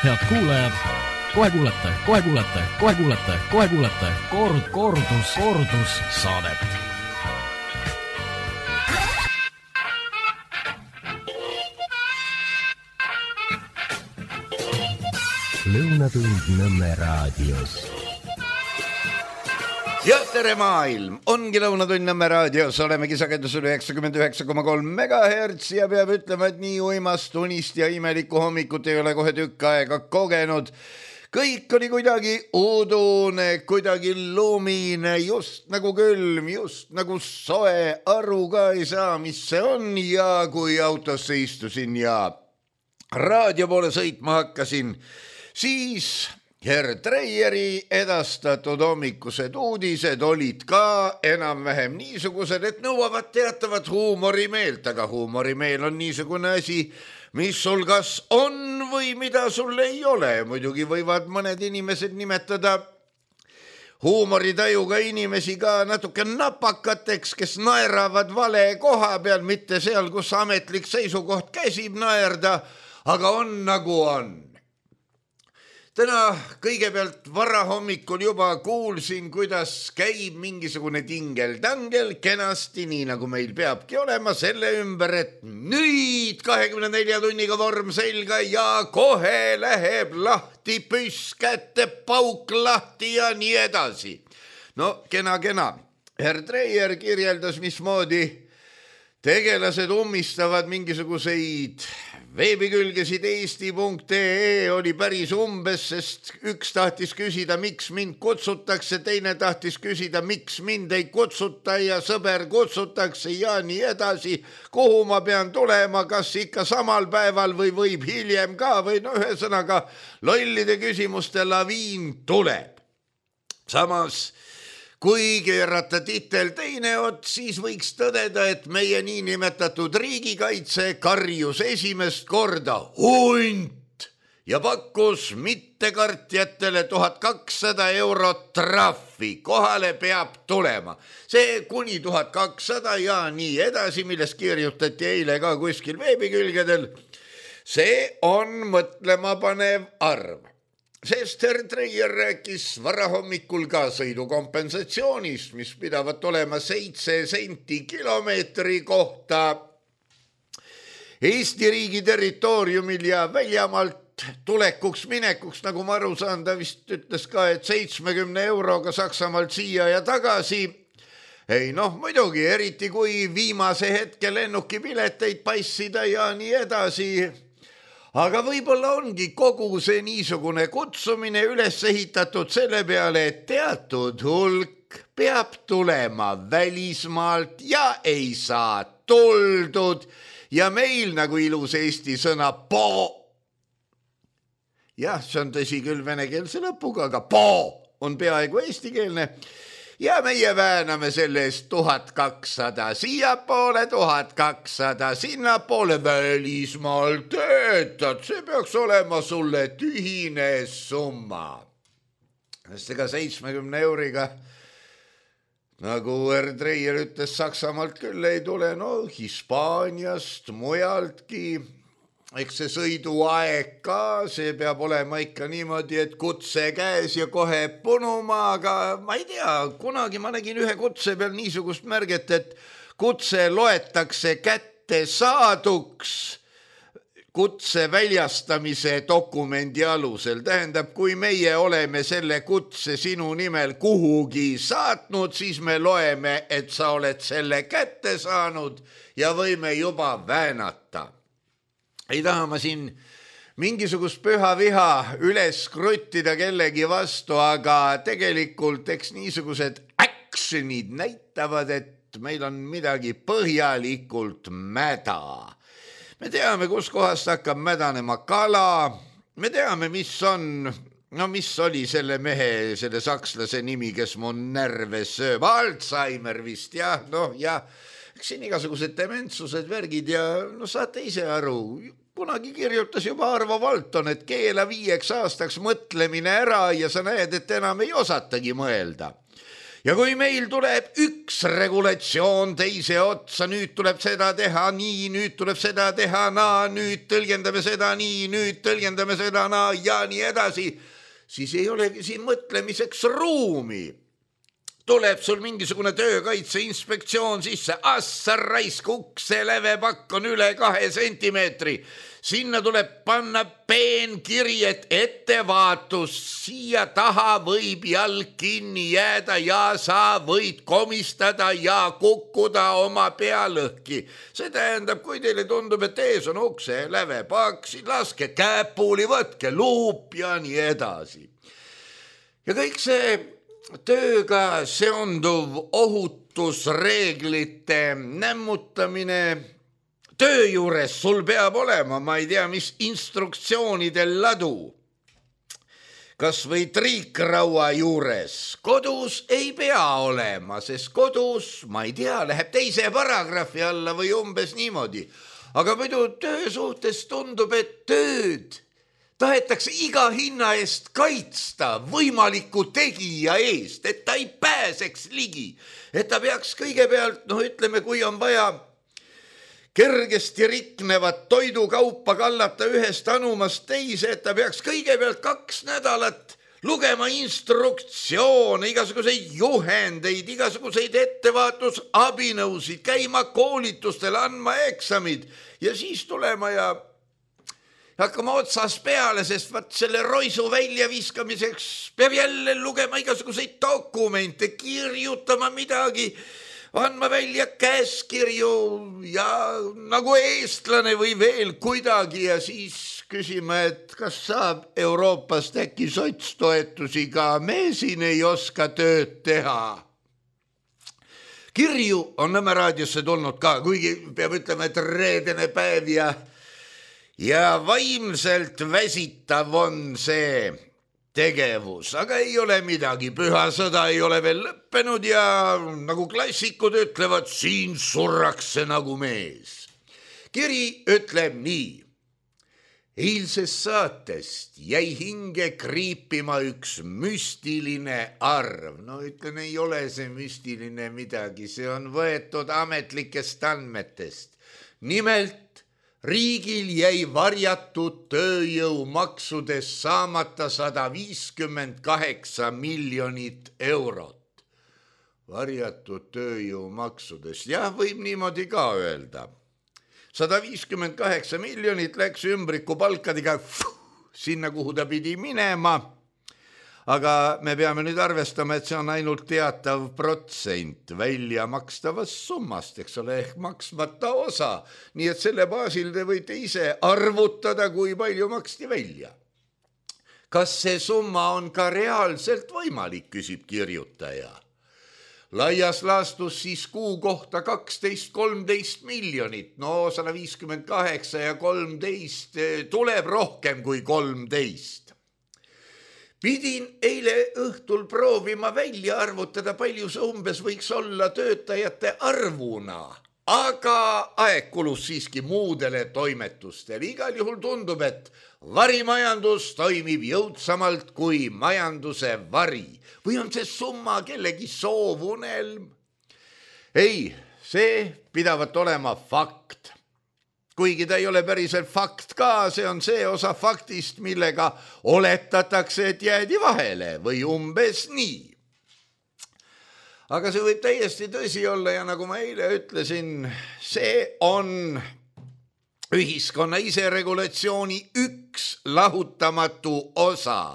Head kuulajad, kohe kuulete kordus saadet. Lõunatund Nõmme raadios. Ja tere maailm, ongi Lõunatund Nõmme raadios, olemegi sagedusel 99,3 MHz ja peab ütlema, et nii uimast unist ja imelikku hommikut ei ole kohe tükk aega kogenud. Kõik oli kuidagi udune, kuidagi lumine, just nagu külm, just nagu soe, aru ka ei saa, mis see on ja kui autosse istusin ja raadio poole sõitma hakkasin, siis Herr Treieri edastatud hommikused uudised olid ka enam-vähem niisugused, et nõuavad teatavat huumorimeelt, aga huumorimeel on niisugune asi, mis sul kas on või mida sul ei ole. Muidugi võivad mõned inimesed nimetada huumoritajuga inimesi ka natuke napakateks, kes naeravad vale koha peal, mitte seal, kus ametlik seisukoht käsib naerda, aga on nagu on. Täna kõigepealt varahommikul juba kuulsin, kuidas käib mingisugune tingel-tangel kenasti, nii nagu meil peabki olema, selle ümber, et nüüd 24 tunniga vorm selga ja kohe läheb lahti püss kätte, pauk lahti ja nii edasi. No kena. Herr Treier kirjeldas, mismoodi tegelased ummistavad mingisuguseid veebikülgesid eesti.ee oli päris umbes, sest üks tahtis küsida, miks mind kutsutakse, teine tahtis küsida, miks mind ei kutsuta ja sõber kutsutakse ja nii edasi, kuhu ma pean tulema, kas ikka samal päeval või võib hiljem ka või no ühesõnaga lollide küsimuste laviin tuleb. Samas kui keerata titel teine ot, siis võiks tõdeda, et meie niinimetatud riigikaitse karjus esimest korda hunt ja pakkus mittekartjatele 1200 eurot trahvi. Kohale peab tulema. See kuni 1200 ja nii edasi, millest kirjutati eile ka kuskil veebikülgedel. See on mõtlemapanev arv. Sest Herr Treier rääkis varahommikul ka sõidukompensatsioonist, mis pidavat olema 7 senti kilomeetri kohta Eesti riigi territooriumil ja väljamaalt tulekuks minekuks, nagu ma aru saan, ta vist ütles ka, et 70 euroga Saksamaalt siia ja tagasi. Ei noh, muidugi, eriti kui viimase hetke lennukipileteid passida ja nii edasi. Aga võib-olla ongi kogu see niisugune kutsumine üles ehitatud selle peale, et teatud hulk peab tulema välismaalt ja ei saa tuldud ja meil nagu ilus eesti sõna po. Jah, see on tõsi küll venekeelse lõpuga, aga po on peaaegu eestikeelne. Ja meie vääname selle eest 1200, siiapoole 1200, sinnapoole välismaal töötad, see peaks olema sulle tühine summa. Sest ega 70 euriga, nagu Herr Treier ütles, Saksamaalt küll ei tule, no Hispaaniast, mujaltki. Eks see sõiduaeg ka, see peab olema ikka niimoodi, et kutse käes ja kohe punuma, aga ma ei tea, kunagi ma nägin ühe kutse peal niisugust märget, et kutse loetakse kätte saaduks kutse väljastamise dokumendi alusel. Tähendab, kui meie oleme selle kutse sinu nimel kuhugi saatnud, siis me loeme, et sa oled selle kätte saanud ja võime juba väänata. Ei taha ma siin mingisugust püha viha üles kruttida kellegi vastu, aga tegelikult eks niisugused actionid näitavad, et meil on midagi põhjalikult mäda. Me teame, kus kohast hakkab mädanema kala, me teame, mis oli selle mehe, selle sakslase nimi, kes mu närve sööb, Alzheimer vist, jah, eks siin igasugused dementsused, värgid ja saate ise aru. Kunagi kirjutas juba Arvo Valton, et keela 5 aastaks mõtlemine ära ja sa näed, et enam ei osatagi mõelda. ja kui meil tuleb üks regulatsioon teise otsa, nüüd tuleb seda teha nii, nüüd tuleb seda teha naa, nüüd tõlgendame seda nii, nüüd tõlgendame seda naa ja nii edasi, siis ei olegi siin mõtlemiseks ruumi. Tuleb sul mingisugune töökaitse inspektsioon sisse, assa raisk, ukse lävepakk on üle 2 sentimeetri. Sinna tuleb panna peenkiri, et ettevaatus, siia taha võib jalg kinni jääda ja sa võid komistada ja kukkuda oma pealõhki. See tähendab, kui teile tundub, et ees on ukse lävepakk, siis laske käpuuli, võtke luup ja nii edasi. Ja kõik see tööga seonduv ohutusreeglite nämmutamine töö juures sul peab olema, ma ei tea, mis instruktsioonidel ladu. Kas või triikraua juures. Kodus ei pea olema, sest kodus, ma ei tea, läheb teise paragrahvi alla või umbes niimoodi. Aga muidu töö suhtes tundub, et tööd tahetakse iga hinna eest kaitsta võimaliku tegija eest, et ta ei pääseks ligi, et ta peaks kõigepealt, ütleme, kui on vaja kergesti riknevat toidukaupa kallata ühest anumast teise, et ta peaks kõigepealt 2 nädalat lugema instruktsioone, igasuguseid juhendeid, igasuguseid ettevaatusabinõusid, käima koolitustel, andma eksamid ja siis tulema ja hakkama otsas peale, sest selle roisu väljaviskamiseks peab jälle lugema igasuguseid dokumente, kirjutama midagi, andma välja käskirju ja nagu eestlane või veel kuidagi ja siis küsima, et kas saab Euroopast äkki sotstoetusi ka, me siin ei oska tööd teha. Kirju on Nõmme raadiosse tulnud ka, kuigi peab ütlema, et reedene päev ja vaimselt väsitav on see tegevus, aga ei ole midagi, püha sõda ei ole veel lõppenud ja nagu klassikud ütlevad, siin surrakse nagu mees. Kiri ütleb nii. Eilsest saatest jäi hinge kriipima üks müstiline arv. Ütlen, ei ole see müstiline midagi, see on võetud ametlikest andmetest. Nimelt, riigil jäi varjatud tööjõumaksudest saamata 158 miljonit eurot. Varjatud tööjõumaksudest, jah, võib niimoodi ka öelda. 158 miljonit läks ümbriku palkadega sinna, kuhu ta pidi minema. Aga me peame nüüd arvestama, et see on ainult teatav protsent välja makstavast summast, eks ole, ehk maksmata osa. Nii et selle baasil te võite ise arvutada, kui palju maksti välja. Kas see summa on ka reaalselt võimalik, küsib kirjutaja. Laias laastus siis kuu kohta 12-13 miljonit, 158 ja 13 tuleb rohkem kui 13. Pidin eile õhtul proovima välja arvutada, palju see umbes võiks olla töötajate arvuna, aga aeg kulus siiski muudele toimetustele. Igal juhul tundub, et varimajandus toimib jõudsamalt kui majanduse vari. Või on see summa kellegi soovunelm? Ei, see pidavat olema fakt. Kuigi ta ei ole päriselt fakt ka, see on see osa faktist, millega oletatakse, et jäädi vahele või umbes nii. Aga see võib täiesti tõsi olla ja nagu ma eile ütlesin, see on ühiskonna iseregulatsiooni üks lahutamatu osa,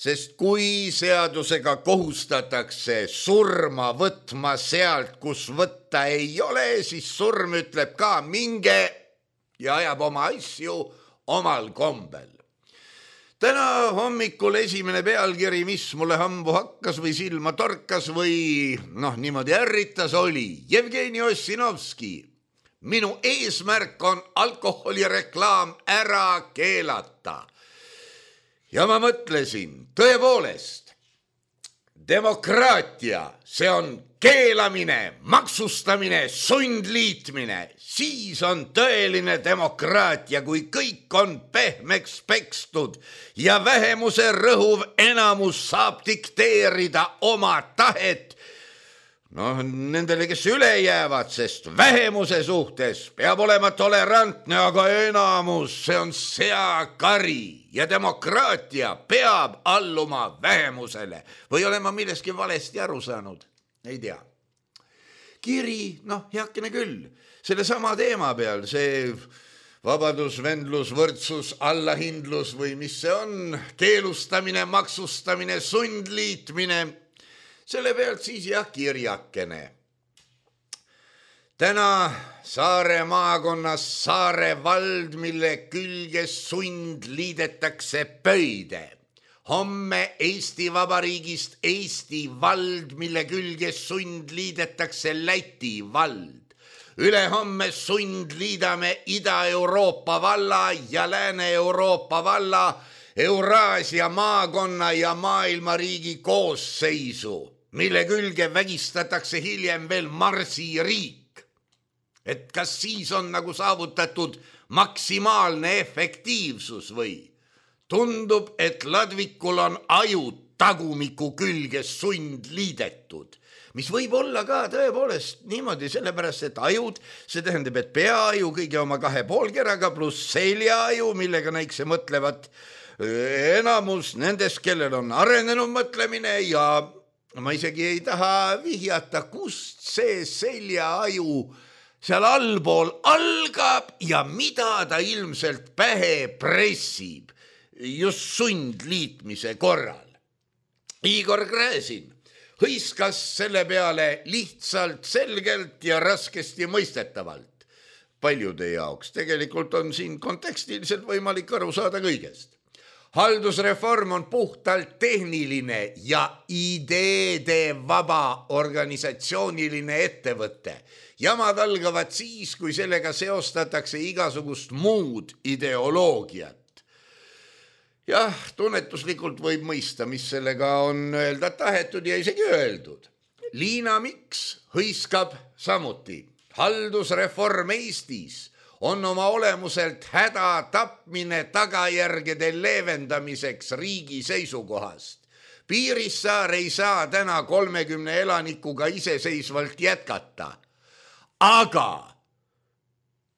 sest kui seadusega kohustatakse surma võtma sealt, kus võtta ei ole, siis surm ütleb ka minge ja ajab oma asju omal kombel. Täna hommikul esimene pealkiri, mis mulle hambu hakkas või silma torkas või niimoodi ärritas, oli Jevgeni Ossinovski. Minu eesmärk on alkoholireklaam ära keelata. Ja ma mõtlesin, tõepoolest, demokraatia, see on keelamine, maksustamine, sundliitmine, siis on tõeline demokraatia, kui kõik on pehmeks pekstud ja vähemuse rõhuv enamus saab dikteerida oma tahet noh, nendele, kes üle jäävad, sest vähemuse suhtes peab olema tolerantne, aga enamus, see on seakari ja demokraatia peab alluma vähemusele. Või olen ma millestki valesti aru saanud? Ei tea. Kiri, heakene küll, selle sama teema peal, see vabadus, vendlus, võrdsus, allahindlus või mis see on, keelustamine, maksustamine, sundliitmine, selle pealt siis kirjakene. Täna Saare maakonnas Saare vald, mille külge sund liidetakse pöide. Homme Eesti Vabariigist Eesti vald, mille külge sund liidetakse Läti vald. Ülehomme sund liidame Ida-Euroopa valla ja Lääne-Euroopa valla, Euraasia maakonna ja maailmariigi koosseisu, mille külge vägistatakse hiljem veel Marsi riik. Et kas siis on nagu saavutatud maksimaalne efektiivsus või? Tundub, et ladvikul on ajud tagumiku külge sund liidetud, mis võib olla ka tõepoolest niimoodi, sellepärast et ajud, see tähendab, et peaaju kõige oma 2 poolkeraga pluss seljaaju, millega näikse mõtlevad enamus nendest, kellel on arenenud mõtlemine ja ma isegi ei taha vihjata, kust see seljaaju seal allpool algab ja mida ta ilmselt pähe pressib just sundliitmise korral. Igor Gräzin hõiskas selle peale lihtsalt, selgelt ja raskesti mõistetavalt. Paljude jaoks tegelikult on siin kontekstiliselt võimalik aru saada kõigest. Haldusreform on puhtalt tehniline ja ideede vaba organisatsiooniline ettevõte. Jamad algavad siis, kui sellega seostatakse igasugust muud ideoloogiat. Jah, tunnetuslikult võib mõista, mis sellega on öelda tahetud ja isegi öeldud. Liina Miks hõiskab samuti. Haldusreform Eestis on oma olemuselt häda tapmine tagajärgede leevendamiseks riigi seisukohast. Piirissaar ei saa täna 30 elanikuga iseseisvalt jätkata. Aga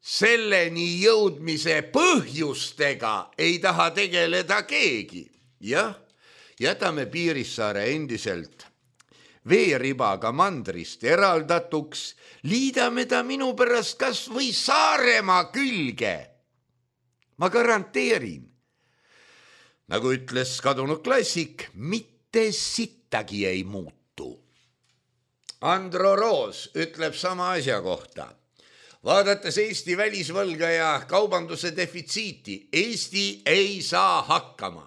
selleni jõudmise põhjustega ei taha tegeleda keegi. Jah, jätame Piirissaare endiselt veeribaga mandrist eraldatuks, liidame ta minu pärast kas või Saaremaa külge. Ma garanteerin, nagu ütles kadunud klassik, mitte sittagi ei muutu. Andro Roos ütleb sama asja kohta. Vaadates Eesti välisvõlga ja kaubanduse defitsiiti, Eesti ei saa hakkama.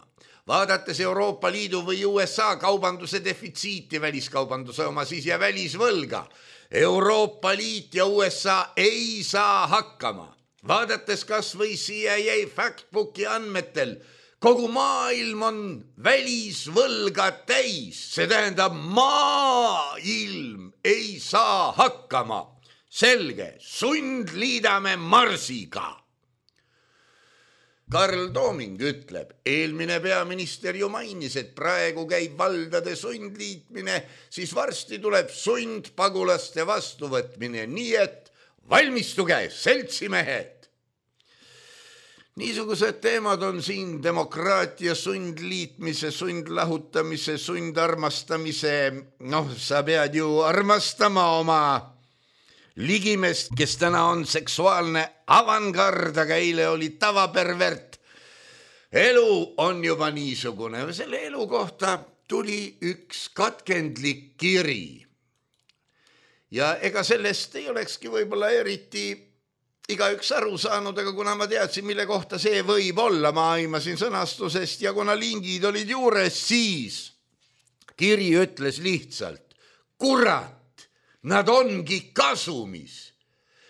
Vaadates Euroopa Liidu või USA kaubanduse defitsiiti, väliskaubanduse oma siis ja välisvõlga, Euroopa Liit ja USA ei saa hakkama. Vaadates kas või CIA Factbooki andmetel, kogu maailm on välisvõlga täis, see tähendab maailm ei saa hakkama. Selge, sundliidame Marsiga. Karl Tooming ütleb, eelmine peaminister ju mainis, et praegu käib valdade sundliitmine, siis varsti tuleb sundpagulaste vastuvõtmine, nii et valmistuge, seltsimehed. Niisugused teemad on siin demokraatia sundliitmise, sundlahutamise, sundarmastamise, sa pead ju armastama oma ligimest, kes täna on seksuaalne avangard, aga eile oli tavapervert. Elu on juba niisugune. Selle elu kohta tuli üks katkendlik kiri. Ja ega sellest ei olekski võib-olla eriti igaüks aru saanud, aga kuna ma teadsin, mille kohta see võib olla, ma aimasin sõnastusest ja kuna lingid olid juures, siis kiri ütles lihtsalt, kurat, nad ongi kasumis.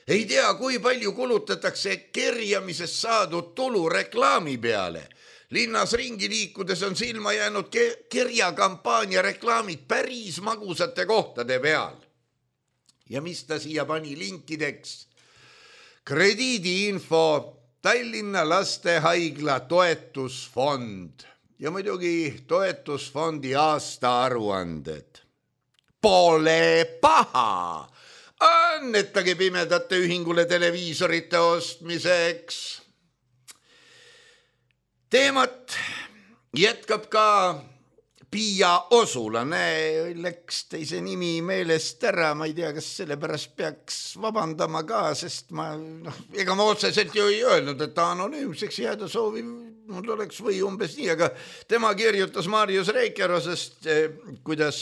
Ei tea, kui palju kulutatakse kerjamisest saadud tulu reklaami peale. Linnas ringi liikudes on silma jäänud kerjakampaania reklaamid päris magusate kohtade peal. Ja mis ta siia pani linkideks? Krediidiinfo, Tallinna lastehaigla toetusfond ja muidugi toetusfondi aastaaruanded. pole paha. Annetage Pimedate Ühingule televiisorite ostmiseks. Teemat jätkab ka Piia Osula, läks teise nimi meelest ära, ma ei tea, kas selle pärast peaks vabandama ka, sest ega ma otseselt ju ei öelnud, et ta anonüümseks jääda soovib, mul oleks või umbes nii, aga tema kirjutas Marius Reikerosest, kuidas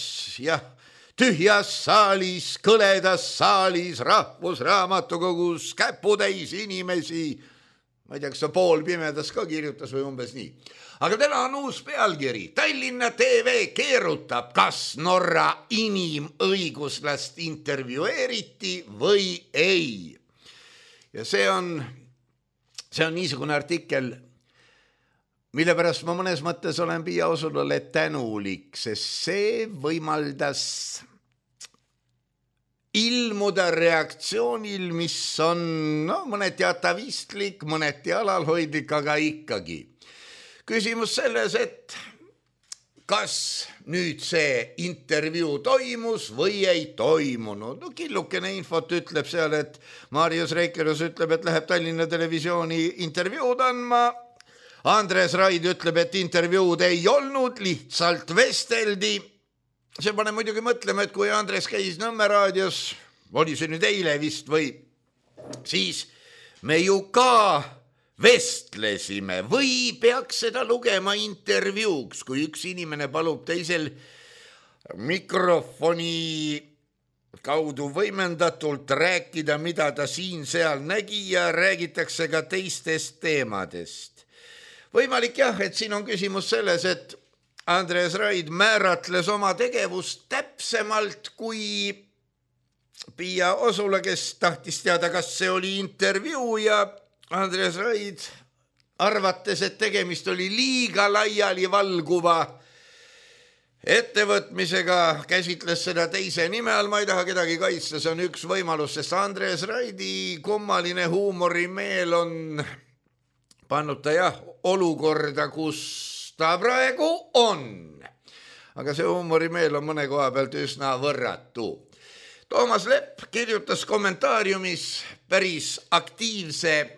tühjas saalis, kõledas saalis, Rahvusraamatukogus käputäis inimesi, ma ei tea, kas ta poolpimedas ka kirjutas või umbes nii. Aga täna on uus pealkiri. Tallinna TV keerutab, kas Norra inimõiguslast intervjueeriti või ei. Ja see on niisugune artikkel, mille pärast ma mõnes mõttes olen Piia Osulale tänulik, sest see võimaldas ilmuda reaktsioonil, mis on mõneti atavistlik, mõneti alalhoidlik, aga ikkagi. Küsimus selles, et kas nüüd see intervjuu toimus või ei toimunud. Killukene infot ütleb seal, et Marius Reikeros ütleb, et läheb Tallinna Televisiooni intervjuud andma. Andres Raid ütleb, et intervjuud ei olnud, lihtsalt vesteldi. See pane muidugi mõtlema, et kui Andres käis Nõmme raadios, oli see nüüd eile vist või, siis me ju ka vestlesime või peaks seda lugema intervjuuks, kui üks inimene palub teisel mikrofoni kaudu võimendatult rääkida, mida ta siin-seal nägi ja räägitakse ka teistest teemadest. Võimalik et siin on küsimus selles, et Andres Raid määratles oma tegevust täpsemalt kui Piia Osula, kes tahtis teada, kas see oli intervjuu ja Andres Raid arvates, et tegemist oli liiga laiali valguva ettevõtmisega, käsitles seda teise nime all, ma ei taha kedagi kaitsta, see on üks võimalus, sest Andres Raidi kummaline huumorimeel on pannud ta olukorda, kus ta praegu on. Aga see huumorimeel on mõne koha pealt üsna võrratu. Toomas Lepp kirjutas kommentaariumis päris aktiivse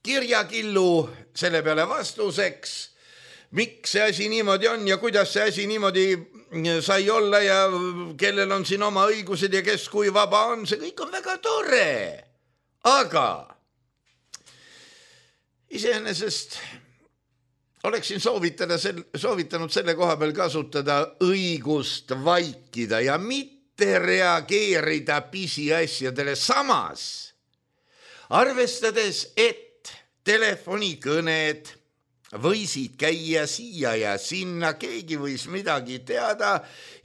kirjakillu selle peale vastuseks, miks see asi niimoodi on ja kuidas see asi niimoodi sai olla ja kellel on siin oma õigused ja kes kui vaba on, see kõik on väga tore. Aga iseenesest oleksin soovitanud selle koha peal kasutada õigust vaikida ja mitte reageerida pisiasjadele. Samas, arvestades, et telefonikõned võisid käia siia ja sinna, keegi võis midagi teada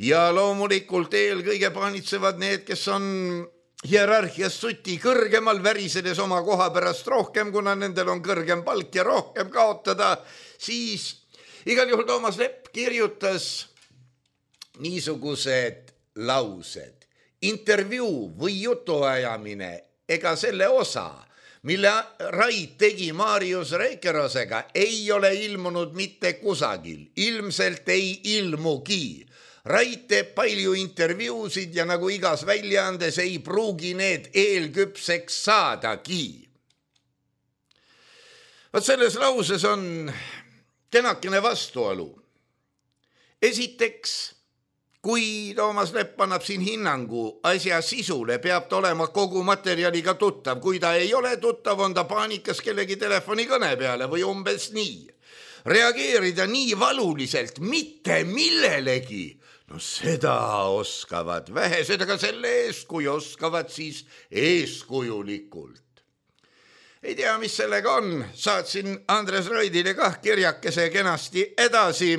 ja loomulikult eelkõige paanitsevad need, kes on hierarhias suti kõrgemal, värisedes oma koha pärast rohkem, kuna nendel on kõrgem palk ja rohkem kaotada, siis igal juhul Toomas Lepp kirjutas niisugused laused. Intervjuu või jutuajamine ega selle osa, mille Raid tegi Marius Reikerosega, ei ole ilmunud mitte kusagil. Ilmselt ei ilmugi. Raid teeb palju intervjuusid ja nagu igas väljaandes ei pruugi need eelküpseks saadagi. Vaat selles lauses on kenakene vastuolu. Esiteks, kui Toomas Lepp annab siin hinnangu asja sisule, peab ta olema kogu materjaliga tuttav. Kui ta ei ole tuttav, on ta paanikas kellegi telefonikõne peale või umbes nii. Reageerida nii valuliselt mitte millelegi, no seda oskavad vähesed, aga selle eest, kui oskavad, siis eeskujulikult. Ei tea, mis sellega on. Saatsin Andres Raidile kah kirjakese kenasti edasi,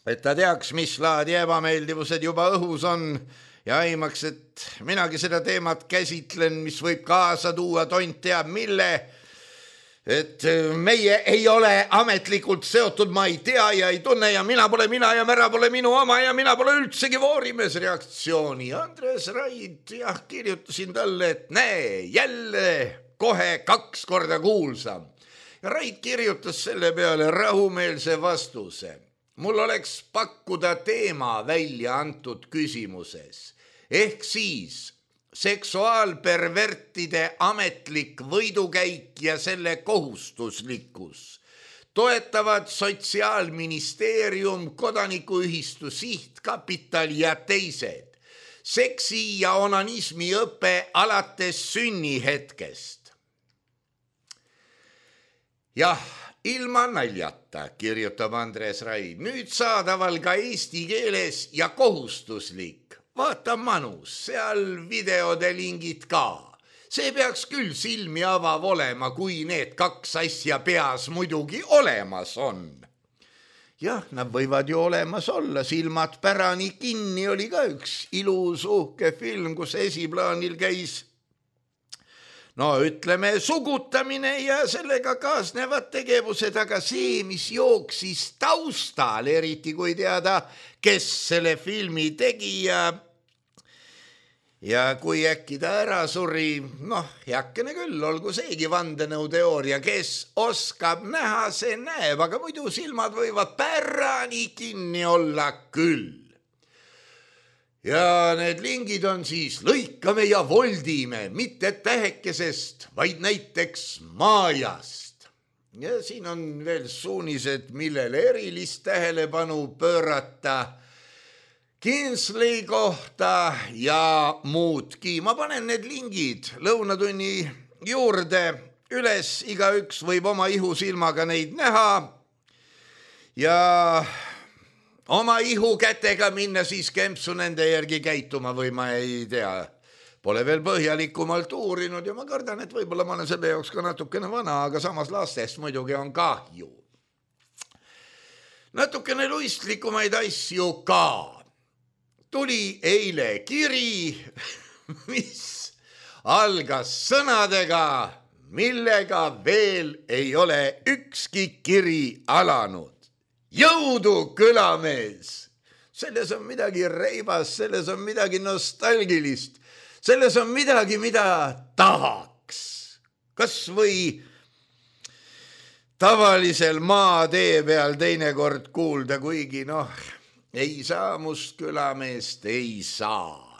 et ta teaks, mis laadi ebameeldivused juba õhus on ja aimaks, et minagi seda teemat käsitlen, mis võib kaasa tuua tont teab mille, et meie ei ole ametlikult seotud, ma ei tea ja ei tunne ja mina pole mina ja Mära pole minu oma ja mina pole üldsegi voorimees reaktsiooni. Andres Raid, kirjutasin talle, et näe, jälle kohe 2 korda kuulsam. Ja Raid kirjutas selle peale rahumeelse vastuse. mul oleks pakkuda teema välja antud küsimuses, ehk siis seksuaalpervertide ametlik võidukäik ja selle kohustuslikkus, toetavad Sotsiaalministeerium, Kodanikuühistu Sihtkapital ja teised, seksi ja onanismi õpe alates sünnihetkest. Jah, ilma naljata, kirjutab Andres Raid, nüüd saadaval ka eesti keeles ja kohustuslik. Vaata manus, seal videode lingid ka. See peaks küll silmi avav olema, kui need kaks asja peas muidugi olemas on. Jah, nad võivad ju olemas olla, silmad pärani kinni oli ka üks ilus uhke film, kus esiplaanil käis ütleme sugutamine ja sellega kaasnevad tegevused, aga see, mis jooksis taustal, eriti kui teada, kes selle filmi tegi ja kui äkki ta ära suri, heakene küll, olgu seegi vandenõuteooria, kes oskab näha, see näeb, aga muidu silmad võivad pärani kinni olla küll. Ja need lingid on siis lõikame ja voldime, mitte tähekesest, vaid näiteks maajast. Ja siin on veel suunised, millele erilist tähelepanu pöörata, Kinsley kohta ja muudki. Ma panen need lingid lõunatunni juurde üles, igaüks võib oma ihusilmaga neid näha ja oma ihu kätega minna siis kempsu nende järgi käituma või ma ei tea. Pole veel põhjalikumalt uurinud ja ma kardan, et võib-olla ma olen selle jaoks ka natukene vana, aga samas lastest muidugi on kahju. Natukene luistlikumaid asju ka. Tuli eile kiri, mis algas sõnadega, millega veel ei ole ükski kiri alanud. Jõudu, külamees! Selles on midagi reibas, selles on midagi nostalgilist, selles on midagi, mida tahaks. Kas või tavalisel maatee peal teinekord kuulda, kuigi ei saa must külameest, ei saa.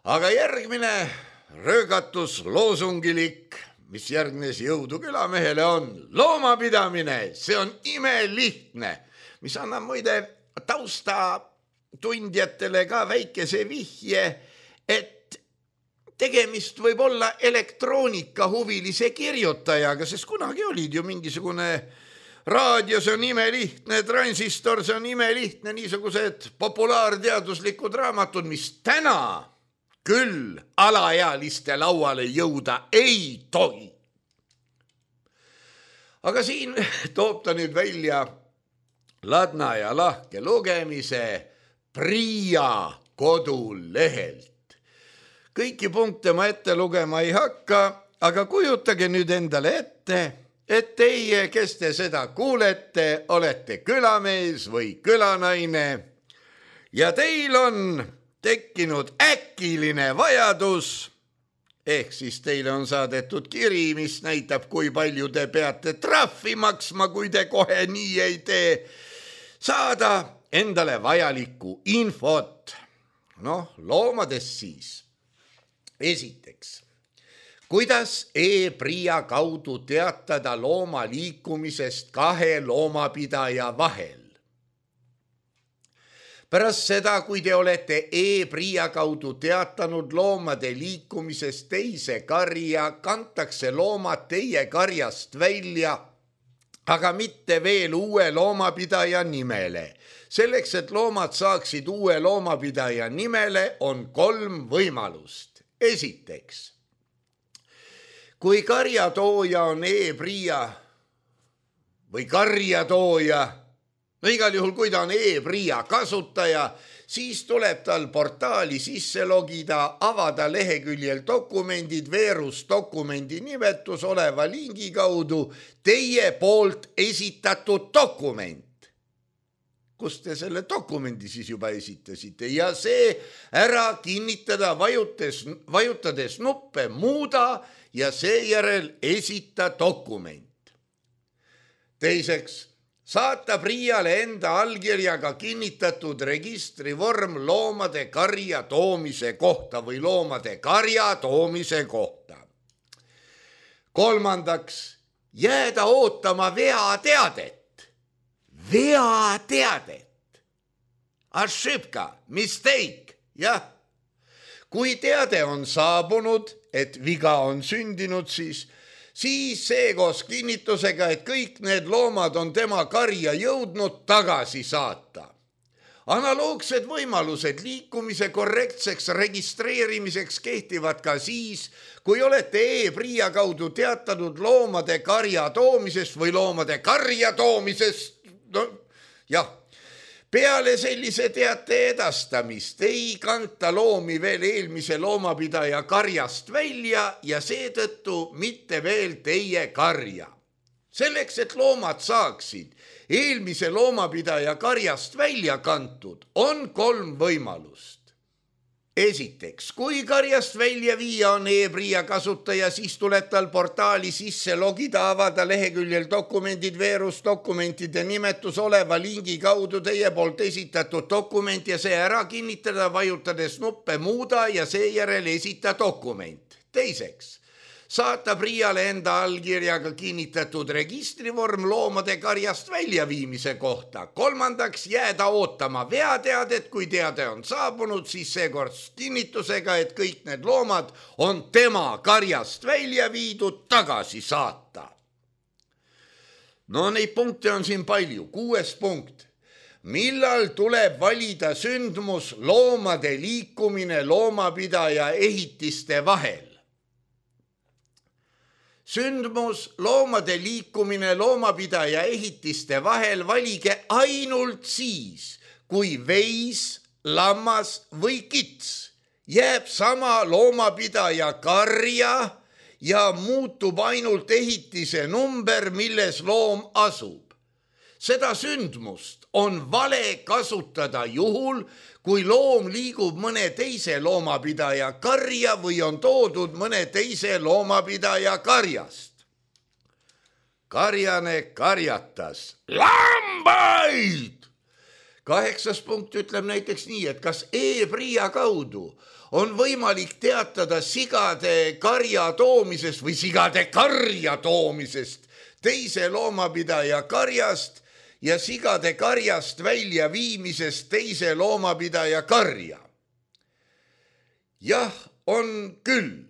Aga järgmine röögatus loosungilik, mis järgnes jõudu külamehele on loomapidamine, see on imelihtne, mis annab muide tausta tundjatele ka väikese vihje, et tegemist võib olla elektroonikahuvilise kirjutajaga, sest kunagi olid ju mingisugune raadio, see on imelihtne, transistor, see on imelihtne, niisugused populaarteaduslikud raamatud, mis täna küll alaealiste lauale jõuda ei tohi. Aga siin toob ta nüüd välja ladna ja lahke lugemise Priia kodulehelt. Kõiki punkte ma ette lugema ei hakka, aga kujutage nüüd endale ette, et teie, kes te seda kuulete, olete külamees või külanaine ja teil on tekkinud äkiline vajadus, ehk siis teile on saadetud kiri, mis näitab, kui palju te peate trahvi maksma, kui te kohe nii ei tee, saada endale vajalikku infot. Loomadest siis. Esiteks, kuidas e-Priia kaudu teatada looma liikumisest kahe loomapidaja vahel? Pärast seda, kui te olete e-Priia kaudu teatanud loomade liikumisest teise karja, kantakse loomad teie karjast välja, aga mitte veel uue loomapidaja nimele. Selleks, et loomad saaksid uue loomapidaja nimele, on 3 võimalust. Esiteks, kui karjatooja on e-Priia või karjatooja, igal juhul, kui ta on e-Priia kasutaja, siis tuleb tal portaali sisse logida, avada leheküljel dokumendid, veerus dokumendi nimetus oleva lingi kaudu teie poolt esitatud dokument. Kus te selle dokumendi siis juba esitasite ja see ära kinnitada vajutades nuppe muuda ja seejärel esita dokument. Teiseks, saata PRIA-le enda allkirjaga kinnitatud registrivorm loomade karja toomise kohta või loomade karja toomise kohta. 3. jääda ootama veateadet. Veateadet. Ошибka, mistake, jah. Kui teade on saabunud, et viga on sündinud, siis see koos kinnitusega, et kõik need loomad on tema karja jõudnud, tagasi saata. Analoogsed võimalused liikumise korrektseks registreerimiseks kehtivad ka siis, kui olete e-PRIA kaudu teatanud loomade karja toomisest või loomade karja toomisest. No, jah. Peale sellise teate edastamist ei kanta loomi veel eelmise loomapidaja karjast välja ja seetõttu mitte veel teie karja. Selleks, et loomad saaksid eelmise loomapidaja karjast välja kantud, on 3 võimalust. Esiteks, kui karjast välja viia on e-PRIA kasutaja, siis tuleb tal portaali sisse logida, avada leheküljel dokumendid, veerus dokumentide nimetus oleva lingi kaudu teie poolt esitatud dokument ja see ära kinnitada, vajutades nuppe muuda ja seejärel esita dokument. Teiseks, saata PRIA-le enda allkirjaga kinnitatud registrivorm loomade karjast väljaviimise kohta. 3. jääda ootama veateadet, kui teade on saabunud, siis seekord kinnitusega, et kõik need loomad on tema karjast välja viidud, tagasi saata. No neid punkte on siin palju. 6. punkt. Millal tuleb valida sündmus loomade liikumine loomapidaja ehitiste vahel? Sündmus loomade liikumine loomapidaja ehitiste vahel valige ainult siis, kui veis, lammas või kits jääb sama loomapidaja karja ja muutub ainult ehitise number, milles loom asub. Seda sündmust on vale kasutada juhul, kui loom liigub mõne teise loomapidaja karja või on toodud mõne teise loomapidaja karjast. Karjane karjatas lambaid. 8. punkt ütleb näiteks nii, et kas e-PRIA kaudu on võimalik teatada sigade karja toomisest või sigade karja toomisest teise loomapidaja karjast ja sigade karjast välja viimisest teise loomapidaja karja. Jah, on küll.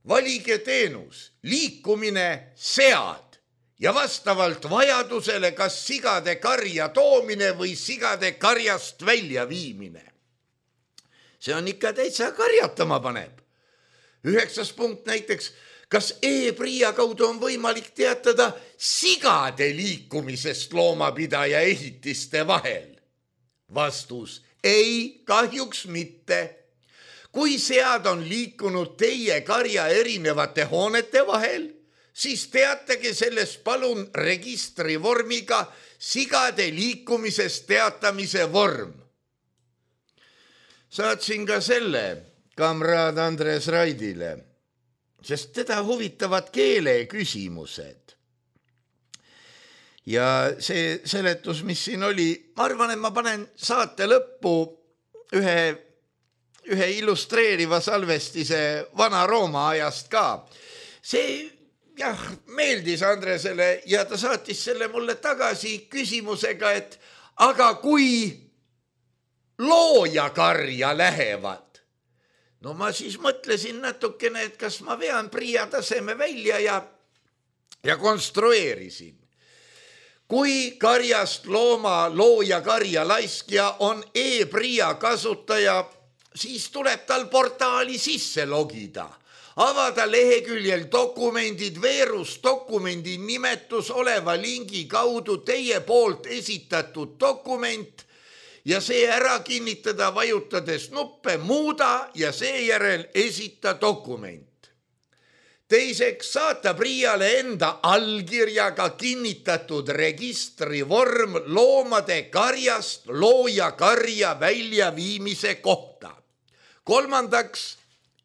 Valige teenus, liikumine sead ja vastavalt vajadusele kas sigade karja toomine või sigade karjast välja viimine. See on ikka täitsa karjatama paneb. 9. punkt näiteks, kas e-PRIA kaudu on võimalik teatada sigade liikumisest loomapidaja ehitiste vahel? Vastus, ei, kahjuks mitte. Kui sead on liikunud teie karja erinevate hoonete vahel, siis teatage sellest palun registrivormiga sigade liikumisest teatamise vorm. Saatsin ka selle kamraad Andres Raidile, sest teda huvitavad keeleküsimused. Ja see seletus, mis siin oli, ma arvan, et ma panen saate lõppu ühe illustreeriva salvestise Vana-Rooma ajast ka. See meeldis Andresele ja ta saatis selle mulle tagasi küsimusega, et aga kui loojakarja lähevad? No ma siis mõtlesin natukene, et kas ma vean PRIA taseme välja ja konstrueerisin. Kui karjast looma loojakarja laiskja on e-PRIA kasutaja, siis tuleb tal portaali sisse logida. Avada leheküljel dokumendid, veerus dokumendi nimetus oleva lingi kaudu teie poolt esitatud dokument ja see ära kinnitada, vajutades nuppe muuda ja seejärel esita dokument. Teiseks, saata PRIA-le enda allkirjaga kinnitatud registrivorm loomade karjast loojakarja väljaviimise kohta. 3.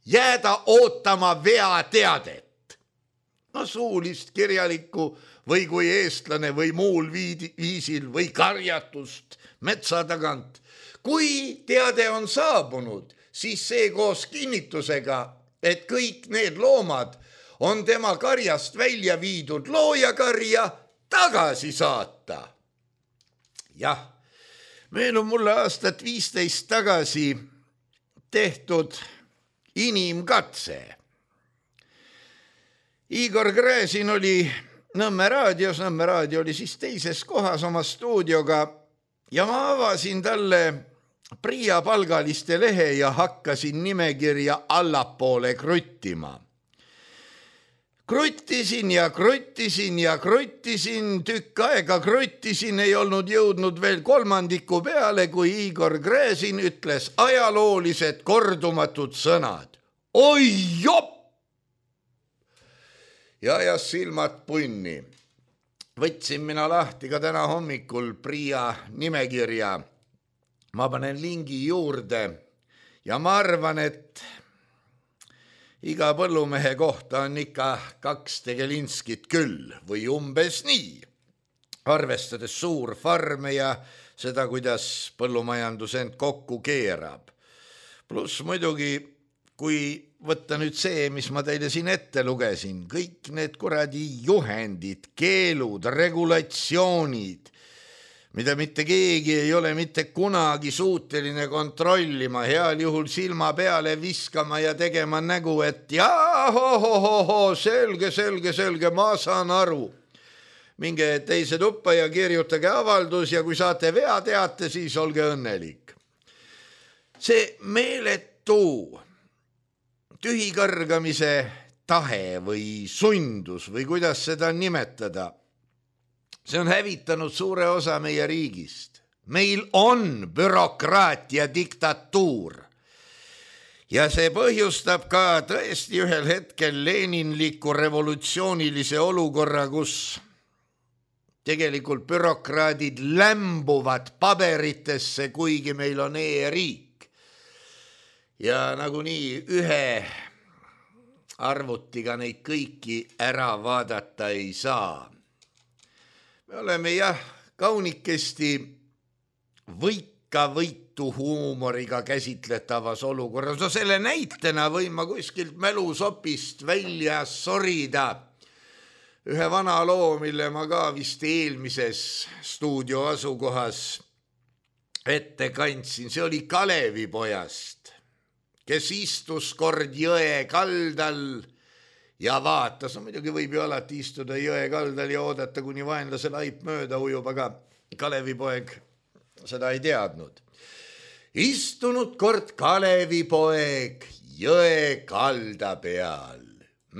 jääda ootama veateadet. no suulist, kirjalikku või kui eestlane või muul viisil või karjatust metsa tagant. Kui teade on saabunud, siis see koos kinnitusega, et kõik need loomad on tema karjast välja viidud loojakarja tagasi saata. Jah, meenub mulle aastat 15 tagasi tehtud inimkatse. Igor Gräzin oli Nõmme raadios, Nõmme raadio oli siis teises kohas oma stuudioga ja ma avasin talle Priia palgaliste lehe ja hakkasin nimekirja allapoole kruttima. Kruttisin ja kruttisin ja kruttisin, tükk aega kruttisin, ei olnud jõudnud veel kolmandiku peale, kui Igor Gräzin ütles ajaloolised kordumatud sõnad. Oi jopp! Ja ajas silmad punni. Võtsin mina lahti ka täna hommikul Priia nimekirja. Ma panen lingi juurde ja ma arvan, et iga põllumehe kohta on ikka 2 Tegelinskit küll või umbes nii. Arvestades suur farme ja seda, kuidas põllumajandus end kokku keerab. Pluss muidugi, kui võtta nüüd see, mis ma teile siin ette lugesin, kõik need kuradi juhendid, keelud, regulatsioonid, mida mitte keegi ei ole mitte kunagi suuteline kontrollima, heal juhul silma peale viskama ja tegema nägu, et jaa, selge, ma saan aru. Minge teise tuppa ja kirjutage avaldus ja kui saate vea teate, siis olge õnnelik. See meeletu tühikõrgamise tahe või sundus või kuidas seda nimetada, see on hävitanud suure osa meie riigist. Meil on bürokraatia diktatuur ja see põhjustab ka tõesti ühel hetkel leninliku revolutsioonilise olukorra, kus tegelikult bürokraadid lämbuvad paberitesse, kuigi meil on e-riik. Ja nagunii ühe arvutiga neid kõiki ära vaadata ei saa. Me oleme jah kaunikesti võitu huumoriga käsitletavas olukorras. No selle näitena võin ma kuskilt mälusopist välja sorida ühe vana loo, mille ma ka vist eelmises stuudio asukohas ette kandsin. See oli Kalevipojast, kes istus kord jõe kaldal ja vaatas. No muidugi võib ju alati istuda jõe kaldal ja oodata, kuni vaenlase laip mööda ujub, aga Kalevipoeg seda ei teadnud. Istunud kord Kalevipoeg jõe kalda peal.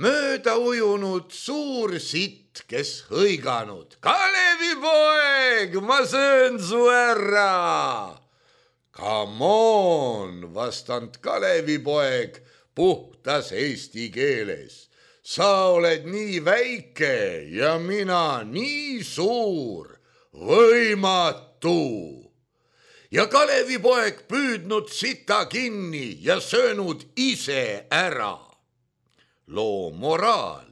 Mööda ujunud suur sitt, kes hõiganud. Kalevipoeg, ma söön su ära! Come on, vastanud Kalevipoeg puhtas eesti keeles. Sa oled nii väike ja mina nii suur, võimatu. Ja Kalevipoeg püüdnud sita kinni ja söönud ise ära. Loo moraal.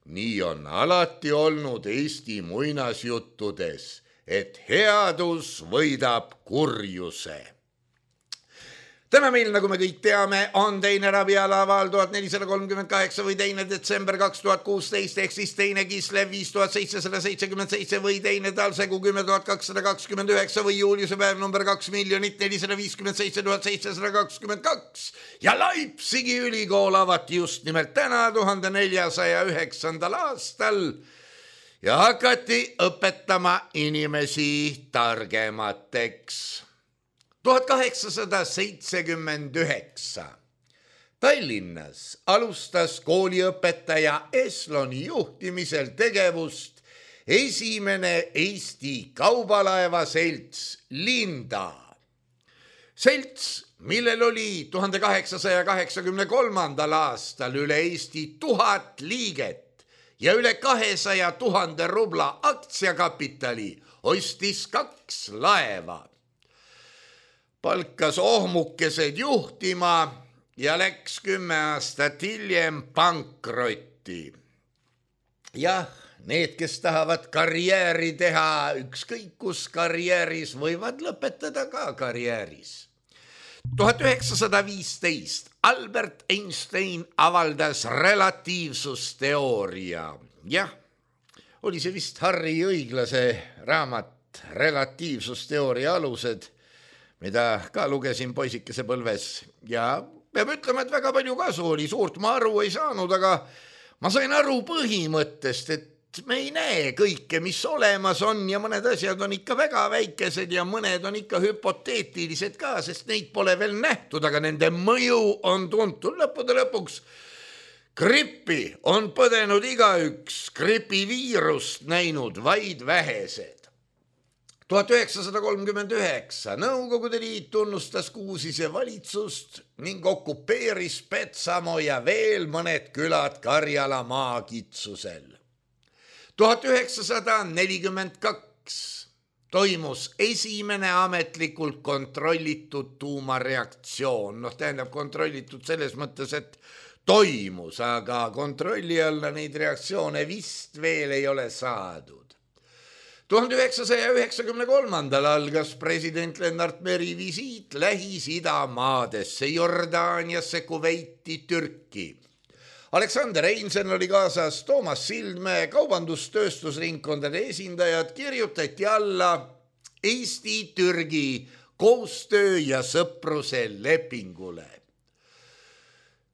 Nii on alati olnud Eesti muinasjuttudes, et headus võidab kurjuse. Täna meil, nagu me kõik teame, on teine rabialaval 1438 või 2. detsember 2016 ehk siis teine Kislev 5777 või teine talsegu 10229 või juuliuse päev number 2 457 722 ja Leipzigi ülikool avati just nimelt täna 1409. aastal ja hakati õpetama inimesi targemateks. 1879 Tallinnas alustas kooliõpetaja Esloni juhtimisel tegevust esimene Eesti kaubalaeva selts Linda. Selts, millel oli 1883. aastal üle Eesti 1000 liiget ja üle 200 000 rubla aktsiakapitali, ostis 2 laeva. Palkas ohmukesed juhtima ja läks 10 aastat hiljem pankrotti. jah, need, kes tahavad karjääri teha, ükskõik kus karjääris, võivad lõpetada ka karjääris. 1915 Albert Einstein avaldas relatiivsusteooria. Jah, oli see vist Harri Õiglase raamat Relatiivsusteooria alused, mida ka lugesin poisikese põlves ja peab ütlema, et väga palju kasu oli, suurt ma aru ei saanud, aga ma sain aru põhimõttest, et me ei näe kõike, mis olemas on ja mõned asjad on ikka väga väikesed ja mõned on ikka hüpoteetilised ka, sest neid pole veel nähtud, aga nende mõju on tuntud. Lõppude lõpuks grippi on põdenud igaüks, gripiviirust näinud vaid vähesed. 1939 Nõukogude Liit tunnustas Kuusise valitsust ning okupeeris Petsamo ja veel mõned külad Karjala maakitsusel. 1942 toimus esimene ametlikult kontrollitud tuumareaktsioon. Tähendab kontrollitud selles mõttes, et toimus, aga kontrolli alla neid reaktsioone vist veel ei ole saadud. 1993 algas president Lennart Meri visiit Lähis-Ida maadesse, Jordaaniasse, Kuveiti, Türki. Aleksander Einsen oli kaasas, Toomas Sildmäe, kaubandustööstusringkondade esindajad, kirjutati alla Eesti-Türgi koostöö ja sõpruse lepingule.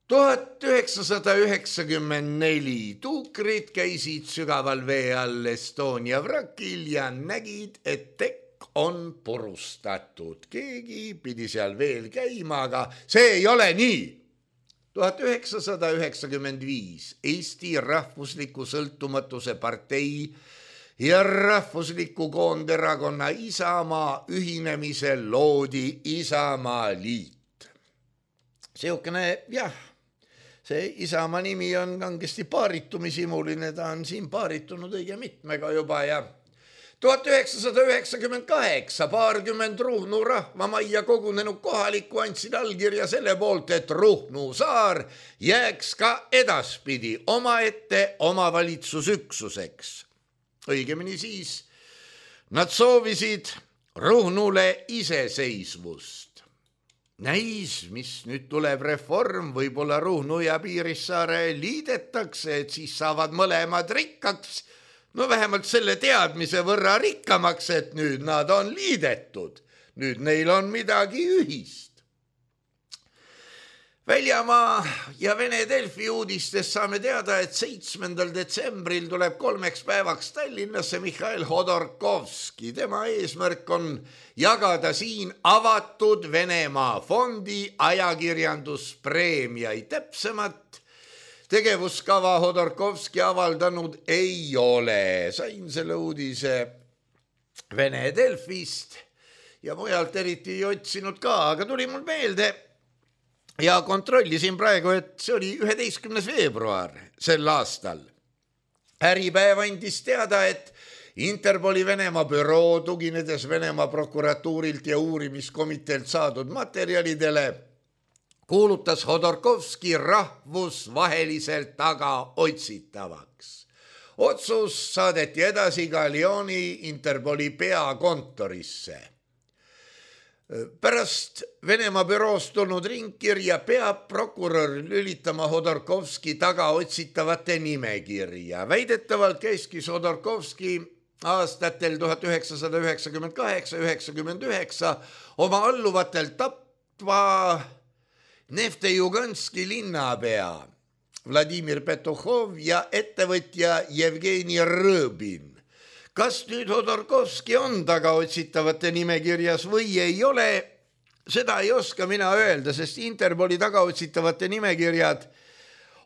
1994 tuukrid käisid sügaval vee all Estonia vrakil ja nägid, et tekk on purustatud. Keegi pidi seal veel käima, aga see ei ole nii. 1995 Eesti Rahvusliku Sõltumatuse partei ja Rahvusliku Koonderakonna Isamaa ühinemisel loodi Isamaa liit. Seukene, jah, see Isamaa nimi on kangesti paaritumisimuline, ta on siin paaritunud õige mitmega juba ja 1998 paarkümmend Ruhnu rahvamajja kogunenud kohalikku andsid allkirja selle poolt, et Ruhnu saar jääks ka edaspidi omaette omavalitsusüksuseks. Õigemini siis nad soovisid Ruhnule iseseisvust. Näis, mis nüüd tuleb reform, võib-olla Ruhnu ja Piirissaare liidetakse, et siis saavad mõlemad rikkaks. No vähemalt selle teadmise võrra rikkamaks, et nüüd nad on liidetud. Nüüd neil on midagi ühist. Väljamaa ja Vene Delfi uudistest saame teada, et 7. detsembril tuleb 3 päevaks Tallinnasse Mihhail Hodorkovski. Tema eesmärk on jagada siin avatud Venemaa fondi ajakirjanduspreemiaid. Täpsemat tegevuskava Hodorkovski avaldanud ei ole. Sain selle uudise Vene Delfist ja mujalt eriti ei otsinud ka, aga tuli mul meelde ja kontrollisin praegu, et see oli 11. veebruar sel aastal. Äripäev andis teada, et Interpoli Venemaa büroo, tuginedes Venemaa prokuratuurilt ja uurimiskomiteelt saadud materjalidele, kuulutas Hodorkovski rahvusvaheliselt tagaotsitavaks. Otsus saadeti edasi ka Lyoni Interpoli peakontorisse. Pärast Venemaa büroost tulnud ringkirja peab prokurör lülitama Hodorkovski tagaotsitavate nimekirja. Väidetavalt käiskis Hodorkovski aastatel 1998-99 oma alluvatel tapva Neftejuganski linnapea Vladimir Petuhov ja ettevõtja Jevgeni Rõbin. Kas nüüd Hodorkovski on tagaotsitavate nimekirjas või ei ole, seda ei oska mina öelda, sest Interpoli tagaotsitavate nimekirjad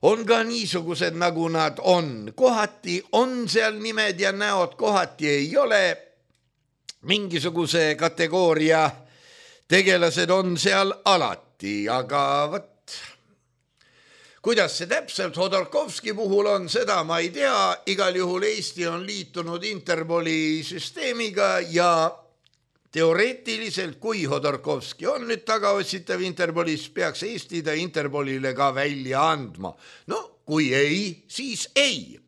on ka niisugused, nagu nad on. Kohati on seal nimed ja näod, kohati ei ole. Mingisuguse kategooria tegelased on seal alati, aga võt, kuidas see täpselt Hodorkovski puhul on, seda ma ei tea. Igal juhul Eesti on liitunud Interpoli süsteemiga ja teoreetiliselt, kui Hodorkovski on nüüd tagaotsitav Interpolis, peaks Eesti ta Interpolile ka välja andma. No kui ei, siis ei.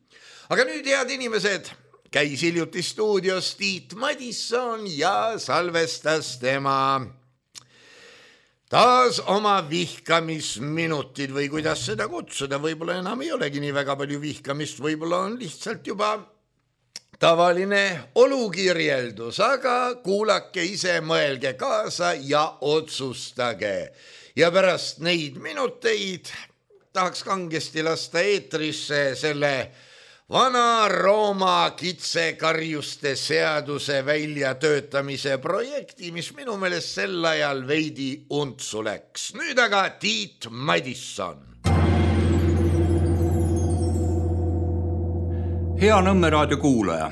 Aga nüüd, head inimesed, käis hiljuti stuudios Tiit Madisson ja salvestas tema taas oma vihkamisminutid või kuidas seda kutsuda, võib-olla enam ei olegi nii väga palju vihkamist, võib-olla on lihtsalt juba tavaline olukirjeldus, aga kuulake ise, mõelge kaasa ja otsustage. Ja pärast neid minuteid tahaks kangesti lasta eetrisse selle Vana-Rooma kitsekarjuste seaduse väljatöötamise projekti, mis minu meelest sel ajal veidi untsu läks. Nüüd aga Tiit Madisson. Hea Nõmme raadio kuulaja.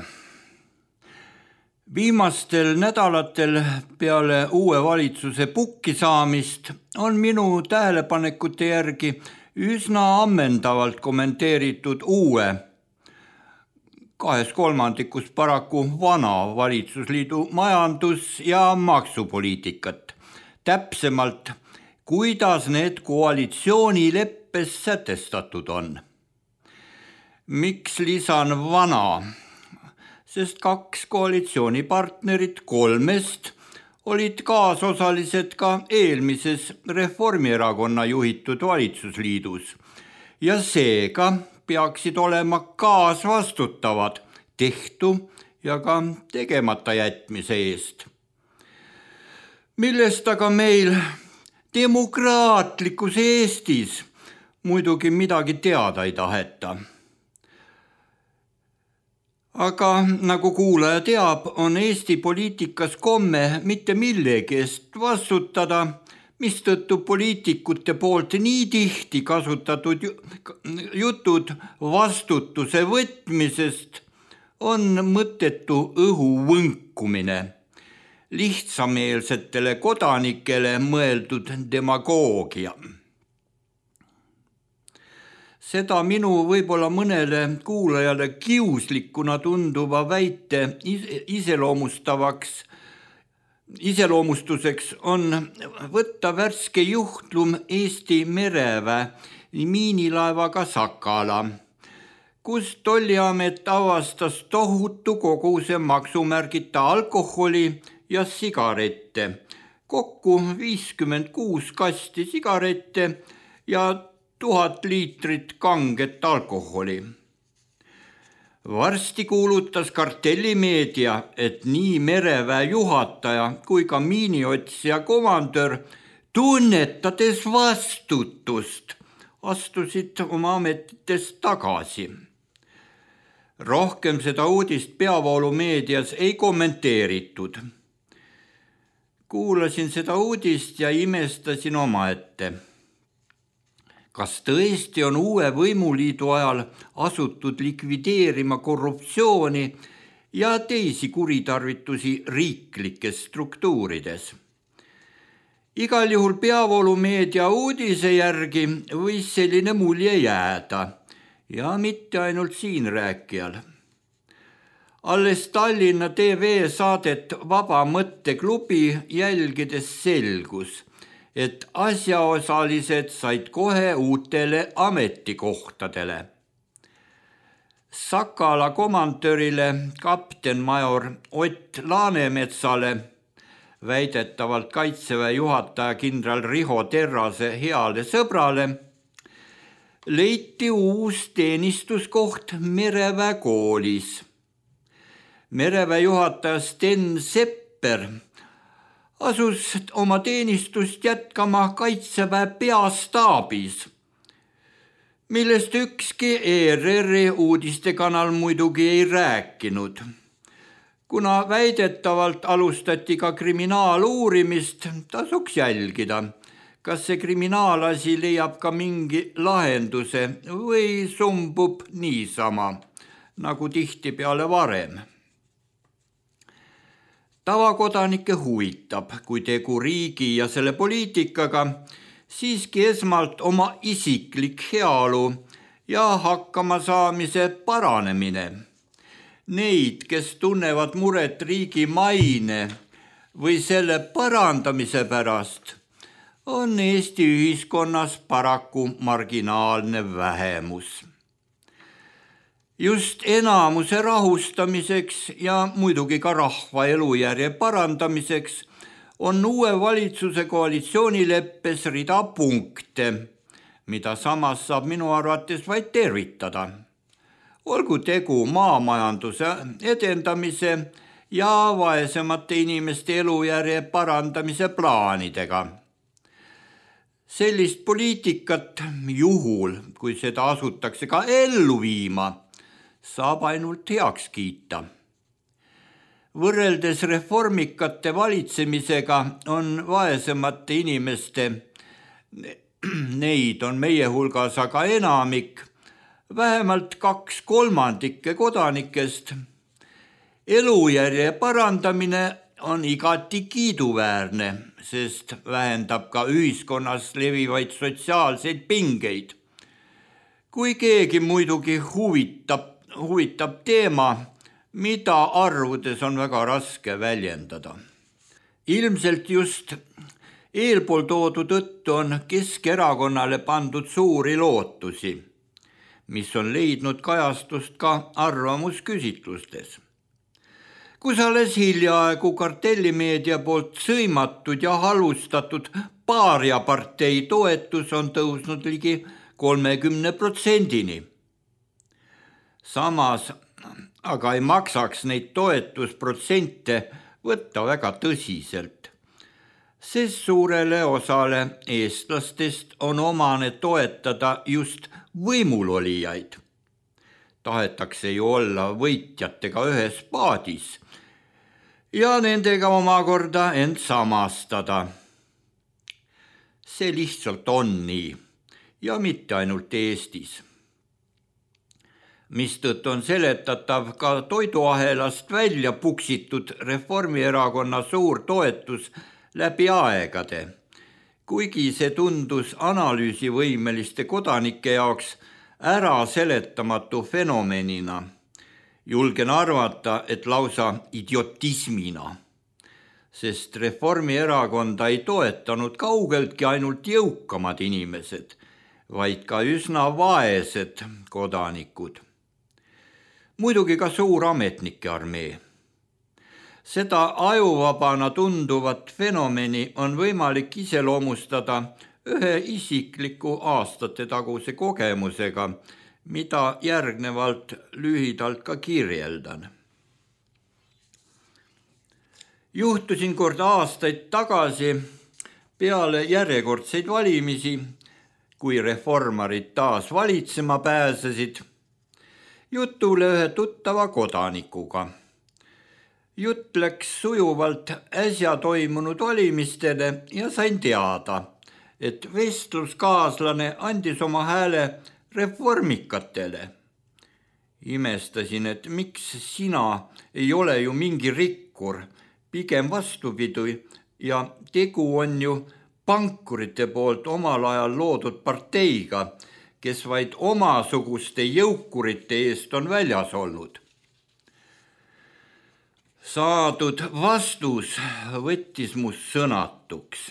Viimastel nädalatel peale uue valitsuse pukki saamist on minu tähelepanekute järgi üsna ammendavalt kommenteeritud uue 2/3 paraku vana valitsusliidu majandus- ja maksupoliitikat. Täpsemalt, kuidas need koalitsioonileppes sätestatud on. Miks lisan vana? Sest 2 koalitsioonipartnerit 3 olid kaasosalised ka eelmises Reformierakonna juhitud valitsusliidus ja seega peaksid olema kaasvastutavad tehtu ja ka tegemata jätmise eest. Millest aga meil demokraatlikus Eestis muidugi midagi teada ei taheta. Aga nagu kuulaja teab, on Eesti poliitikas komme mitte millegi eest vastutada, mistõttu poliitikute poolt nii tihti kasutatud jutud vastutuse võtmisest on mõttetu õhu võnkumine, lihtsameelsetele kodanikele mõeldud demagoogia. Seda minu võib-olla mõnele kuulajale kiuslikuna tunduva väite iseloomustuseks on võtta värske juhtlum Eesti mereväe miinilaevaga Sakala, kus tolliamet avastas tohutu koguse maksumärgita alkoholi ja sigarette, kokku 56 kasti sigarette ja 1000 liitrit kanget alkoholi. Varsti kuulutas kartellimeedia, et nii mereväe juhataja kui ka miiniotsija komandör, tunnetades vastutust, astusid oma ametitest tagasi. Rohkem seda uudist peavoolumeedias ei kommenteeritud. Kuulasin seda uudist ja imestasin omaette. Kas tõesti on uue võimuliidu ajal asutud likvideerima korruptsiooni ja teisi kuritarvitusi riiklikes struktuurides? Igal juhul peavoolumeedia uudise järgi võis selline mulje jääda ja mitte ainult siin rääkijal. Alles Tallinna TV saadet Vaba mõtteklubi jälgides selgus, et asjaosalised said kohe uutele ametikohtadele. Sakala komandörile kaptenmajor Ott Laanemetsale, väidetavalt Kaitseväe juhataja kindral Riho Terrase heale sõbrale, leiti uus teenistuskoht mereväe koolis. Mereväe juhataja Sten Sepper asus oma teenistust jätkama Kaitseväe peastaabis, millest ükski ERR-i uudistekanal muidugi ei rääkinud. Kuna väidetavalt alustati ka kriminaaluurimist, tasuks jälgida, kas see kriminaalasi leiab ka mingi lahenduse või sumbub niisama, nagu tihtipeale varem. Tavakodanikke huvitab, kui tegu riigi ja selle poliitikaga, siiski esmalt oma isiklik heaolu ja hakkamasaamise paranemine. Neid, kes tunnevad muret riigi maine või selle parandamise pärast, on Eesti ühiskonnas paraku marginaalne vähemus. Just enamuse rahustamiseks ja muidugi ka rahva elujärje parandamiseks on uue valitsuse koalitsioonileppes rida punkte, mida samas saab minu arvates vaid tervitada. Olgu tegu maamajanduse edendamise ja vaesemate inimeste elujärje parandamise plaanidega. Sellist poliitikat juhul, kui seda asutakse ka ellu viima, saab ainult heaks kiita. Võrreldes reformikate valitsemisega on vaesemate inimeste, neid on meie hulgas aga enamik, vähemalt 2/3 kodanikest. Elujärje parandamine on igati kiiduväärne, sest vähendab ka ühiskonnas levivaid sotsiaalseid pingeid. Kui keegi muidugi huvitab teema, mida arvudes on väga raske väljendada. Ilmselt just eelpool toodu tõttu on Keskerakonnale pandud suuri lootusi, mis on leidnud kajastust ka arvamusküsitlustes. Kus alles hiljaaegu kartellimeedia poolt sõimatud ja halvustatud paariapartei toetus on tõusnud ligi 30%-ni. Samas aga ei maksaks neid toetusprotsente võtta väga tõsiselt, sest suurele osale eestlastest on omane toetada just võimulolijaid. Tahetakse ju olla võitjatega ühes paadis ja nendega omakorda end samastada. See lihtsalt on nii ja mitte ainult Eestis. Mistõttu on seletatav ka toiduahelast välja puksitud Reformierakonna suur toetus läbi aegade, kuigi see tundus analüüsivõimeliste kodanike jaoks ära seletamatu fenomenina. Julgen arvata, et lausa idiotismina, sest Reformierakonda ei toetanud kaugeltki ainult jõukamad inimesed, vaid ka üsna vaesed kodanikud. Muidugi ka suur ametnike armee. Seda ajuvabana tunduvat fenomeni on võimalik iseloomustada ühe isikliku aastate taguse kogemusega, mida järgnevalt lühidalt ka kirjeldan. Juhtusin kord aastaid tagasi peale järjekordseid valimisi, kui reformarid taas valitsema pääsesid, jutule ühe tuttava kodanikuga. Jutt läks sujuvalt äsja toimunud valimistele ja sain teada, et vestluskaaslane andis oma hääle reformikatele. Imestasin, et miks sina ei ole ju mingi rikkur, pigem vastupidi ja tegu on ju pankurite poolt omal ajal loodud parteiga, kes vaid omasuguste jõukurite eest on väljas olnud. Saadud vastus võttis must sõnatuks.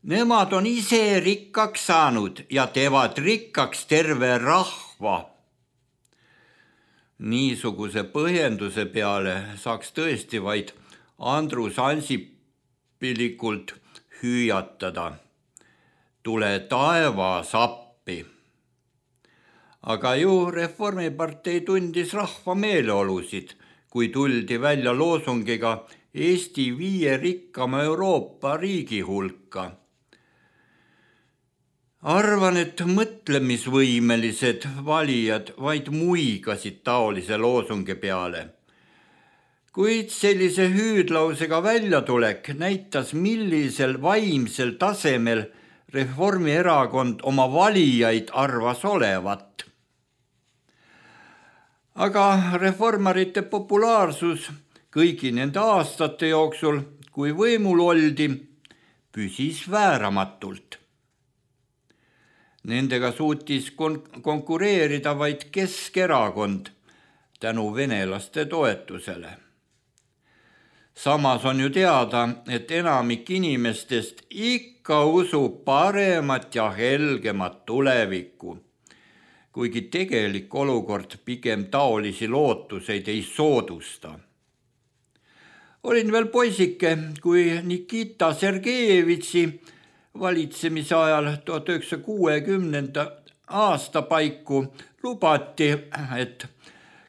Nemad on ise rikkaks saanud ja teevad rikkaks terve rahva. Niisuguse põhjenduse peale saaks tõesti vaid Andrus Ansipilikult hüüatada. Tule taevas appi. Aga ju Reformipartei tundis rahva meeleolusid, kui tuldi välja loosungiga Eesti 5 rikkama Euroopa riigi hulka. Arvan, et mõtlemisvõimelised valijad vaid muigasid taolise loosungi peale. Kuid sellise hüüdlausega väljatulek näitas, millisel vaimsel tasemel Reformierakond oma valijaid arvas olevat. Aga reformarite populaarsus kõigi nende aastate jooksul, kui võimul oldi, püsis vääramatult. Nendega suutis konkureerida vaid Keskerakond tänu venelaste toetusele. Samas on ju teada, et enamik inimestest ikka usub paremat ja helgemat tulevikku. kuigi tegelik olukord pigem taolisi lootuseid ei soodusta. Olin veel poisike, kui Nikita Sergejevitši valitsemise ajal 1960. aasta paiku lubati, et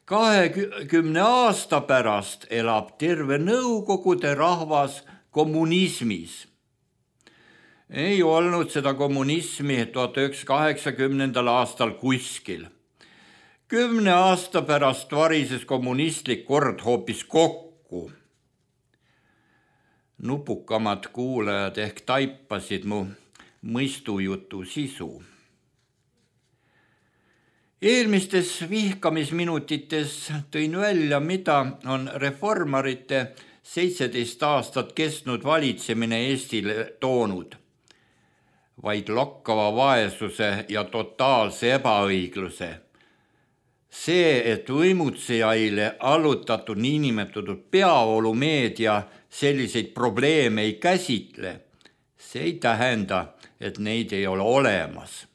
20 aasta pärast elab terve Nõukogude rahvas kommunismis. Ei olnud seda kommunismi 1980. aastal kuskil. 10 aasta pärast varises kommunistlik kord hoopis kokku. Nupukamad kuulajad ehk taipasid mu mõistujutu sisu. Eelmistes vihkamisminutites tõin välja, mida on reformarite 17 aastat kestnud valitsemine Eestile toonud. Vaid lokkava vaesuse ja totaalse ebaõigluse. See, et võimutsejaile allutatud niinimetatud peavoolumeedia selliseid probleeme ei käsitle, see ei tähenda, et neid ei ole olemas.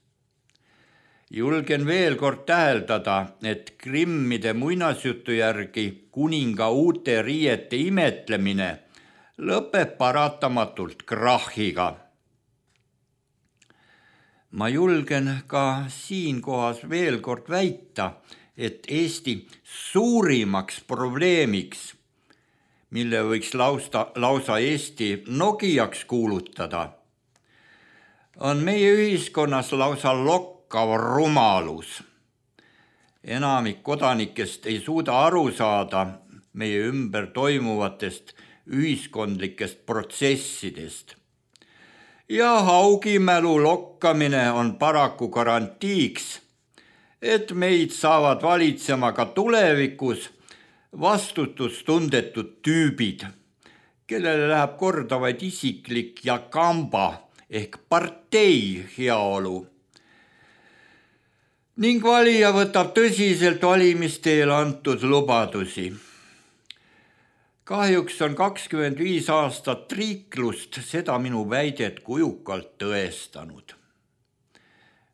Julgen veel kord täheldada, et Grimmide muinasjutu järgi kuninga uute riiete imetlemine lõpeb paratamatult krahhiga. Ma julgen ka siinkohas veel kord väita, et Eesti suurimaks probleemiks, mille võiks lausa Eesti Nokiaks kuulutada, on meie ühiskonnas lausa lokkav rumalus. Enamik kodanikest ei suuda aru saada meie ümber toimuvatest ühiskondlikest protsessidest. Ja haugimälu lokkamine on paraku garantiiks, et meid saavad valitsema ka tulevikus vastutustundetud tüübid, kellele läheb korda vaid isiklik ja kamba ehk partei heaolu. Ning valija võtab tõsiselt valimisteel antud lubadusi. Kahjuks on 25 aastat triiklust seda minu väidet kujukalt tõestanud.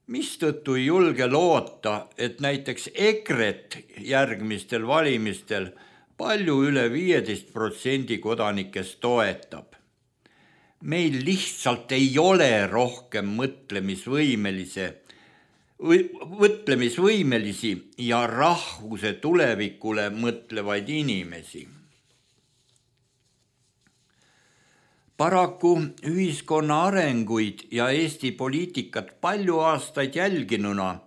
Mistõttu ei julge loota, et näiteks EKRE-t järgmistel valimistel palju üle 15% kodanikest toetab. Meil lihtsalt ei ole rohkem mõtlemisvõimelisi ja rahvuse tulevikule mõtlevaid inimesi. Paraku ühiskonna arenguid ja Eesti poliitikat palju aastaid jälginuna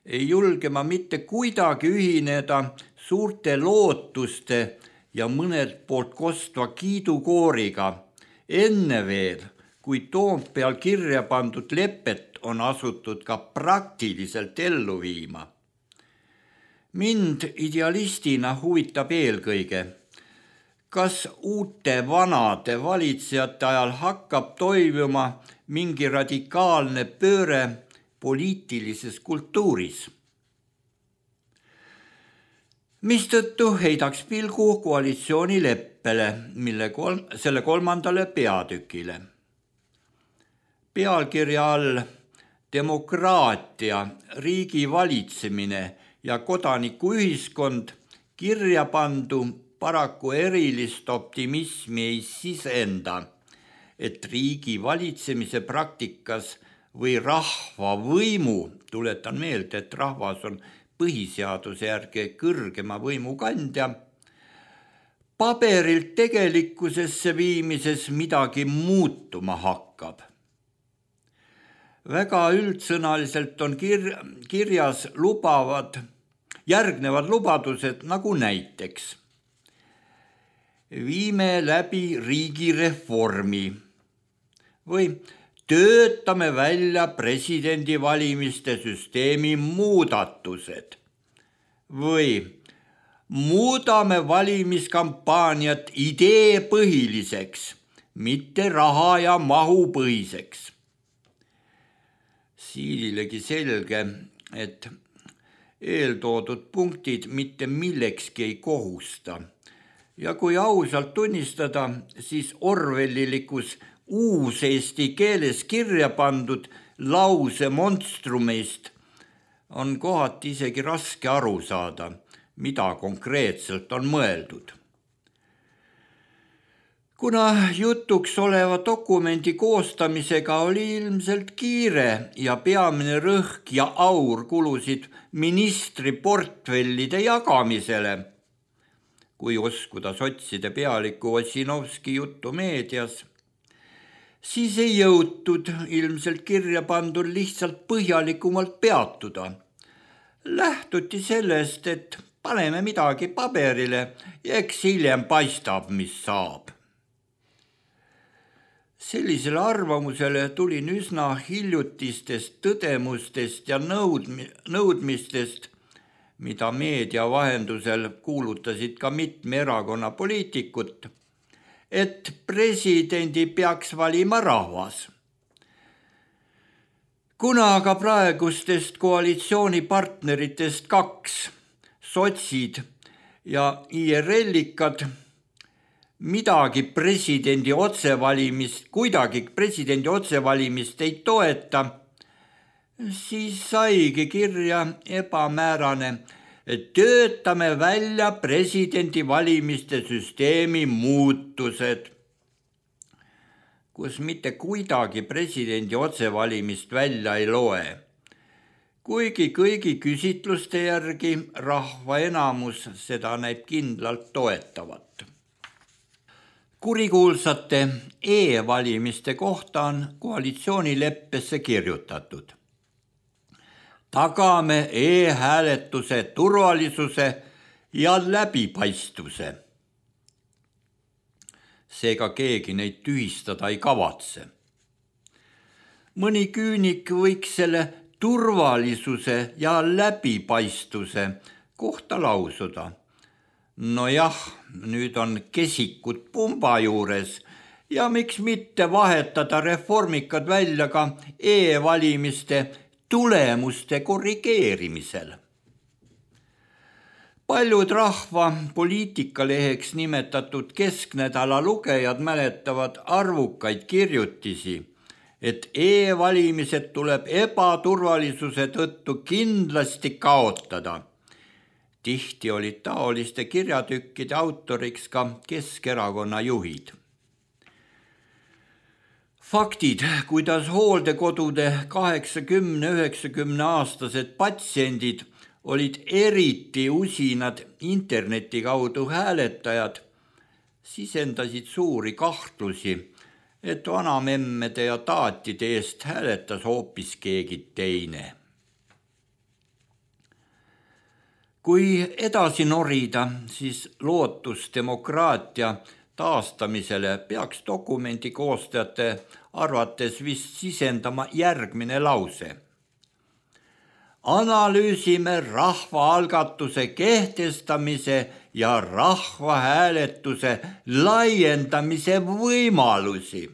ei julge ma mitte kuidagi ühineda suurte lootuste ja mõnelt poolt kostva kiidukooriga, enne veel, kui Toompeal kirja pandud lepet on asutud ka praktiliselt ellu viima. Mind idealistina huvitab eelkõige, kas uute vanade valitsejate ajal hakkab toimuma mingi radikaalne pööre poliitilises kultuuris. Mistõttu heidaks pilgu koalitsioonileppele, selle 3. peatükile. Pealkirja all demokraatia, riigi valitsemine ja kodanikuühiskond kirja pandu paraku erilist optimismi ei sisenda, et riigi valitsemise praktikas või rahva võimu, tuletan meelde, et rahvas on põhiseaduse järgi kõrgema võimu kandja, paberilt tegelikkusesse viimises midagi muutuma hakkab. Väga üldsõnaliselt on kirjas järgnevad lubadused nagu näiteks. Viime läbi riigireformi või töötame välja presidendivalimiste süsteemi muudatused või muudame valimiskampaaniat ideepõhiliseks, mitte raha ja mahu põhiseks. Siililegi selge, et eeltoodud punktid mitte millekski ei kohusta. Ja kui ausalt tunnistada, siis orwellilikus uuseesti keeles kirja pandud lause monstrumist on kohati isegi raske aru saada, mida konkreetselt on mõeldud. Kuna jutuks oleva dokumendi koostamisega oli ilmselt kiire ja peamine rõhk ja aur kulusid ministri portfellide jagamisele, kui uskuda sotside pealiku Ossinovski juttu meedias, siis ei jõutud ilmselt kirja pandud lihtsalt põhjalikumalt peatuda. Lähtuti sellest, et paneme midagi paberile ja eks hiljem paistab, mis saab. Sellisele arvamusele tulin üsna hiljutistest tõdemustest ja nõudmistest, mida meedia vahendusel kuulutasid ka mitme erakonna poliitikut, et presidendi peaks valima rahvas. Kuna aga praegustest koalitsioonipartneritest 2, sotsid ja IRL-ikad, kuidagi presidendi otsevalimist ei toeta, siis saigi kirja ebamäärane, et töötame välja presidendi valimiste süsteemi muutused, kus mitte kuidagi presidendi otsevalimist välja ei loe. Kuigi kõigi küsitluste järgi rahva enamus seda näib kindlalt toetavat. Kurikuulsate e-valimiste kohta on koalitsioonileppesse kirjutatud. Tagame e-hääletuse turvalisuse ja läbipaistvuse. Seega keegi neid tühistada ei kavatse. Mõni küünik võiks selle turvalisuse ja läbipaistvuse kohta lausuda. Nojah, nüüd on kesikud pumba juures ja miks mitte vahetada reformikad välja ka e-valimiste tulemuste korrigeerimisel. Paljud rahva poliitikaleheks nimetatud kesknädala lugejad mäletavad arvukaid kirjutisi, et e-valimised tuleb ebaturvalisuse tõttu kindlasti kaotada. Tihti olid taoliste kirjatükkide autoriks ka Keskerakonna juhid. Faktid, kuidas hooldekodude 80-90 aastased patsiendid olid eriti usinad interneti kaudu hääletajad, sisendasid suuri kahtlusi, et vanamemmede ja taatide eest hääletas hoopis keegi teine. Kui edasi norida, siis lootus demokraatia taastamisele peaks dokumendi koostajate arvates vist sisendama järgmine lause. Analüüsime rahvaalgatuse kehtestamise ja rahvahääletuse laiendamise võimalusi.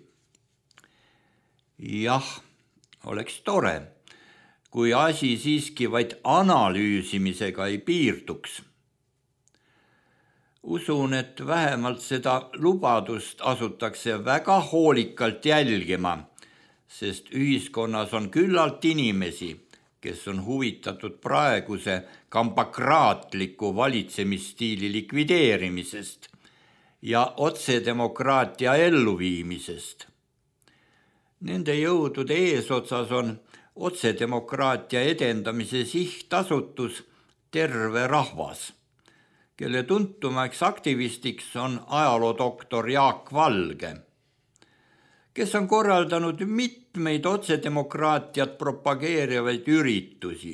Jah, oleks tore, kui asi siiski vaid analüüsimisega ei piirduks. Usun, et vähemalt seda lubadust asutakse väga hoolikalt jälgima, sest ühiskonnas on küllalt inimesi, kes on huvitatud praeguse kampakraatliku valitsemisstiili likvideerimisest ja otsedemokraatia elluviimisest. Nende jõudude eesotsas on otsedemokraatia edendamise sihtasutus Terve rahvas, kelle tuntumaks aktivistiks on ajaloodoktor Jaak Valge, kes on korraldanud mitmeid otsedemokraatiat propageerivaid üritusi,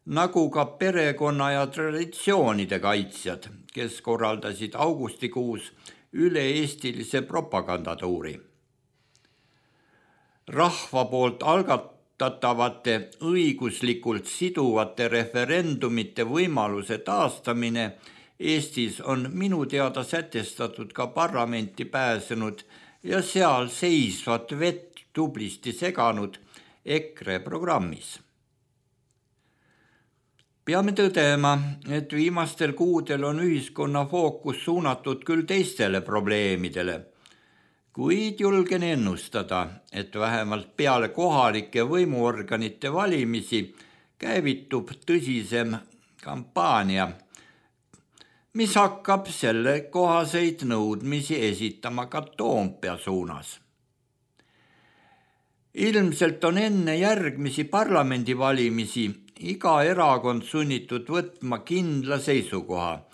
nagu ka perekonna ja traditsioonide kaitsjad, kes korraldasid augustikuus üle-eestilise propagandatuuri. Rahva poolt algatatavate õiguslikult siduvate referendumite võimaluse taastamine Eestis on minu teada sätestatud ka parlamenti pääsenud ja seal seisvat vett tublisti seganud EKRE programmis. Peame tõdema, et viimastel kuudel on ühiskonna fookus suunatud küll teistele probleemidele, kuid julgen ennustada, et vähemalt peale kohalike võimuorganite valimisi käivitub tõsisem kampaania, mis hakkab selle kohaseid nõudmisi esitama ka Toompea suunas. Ilmselt on enne järgmisi parlamendivalimisi iga erakond sunnitud võtma kindla seisukoha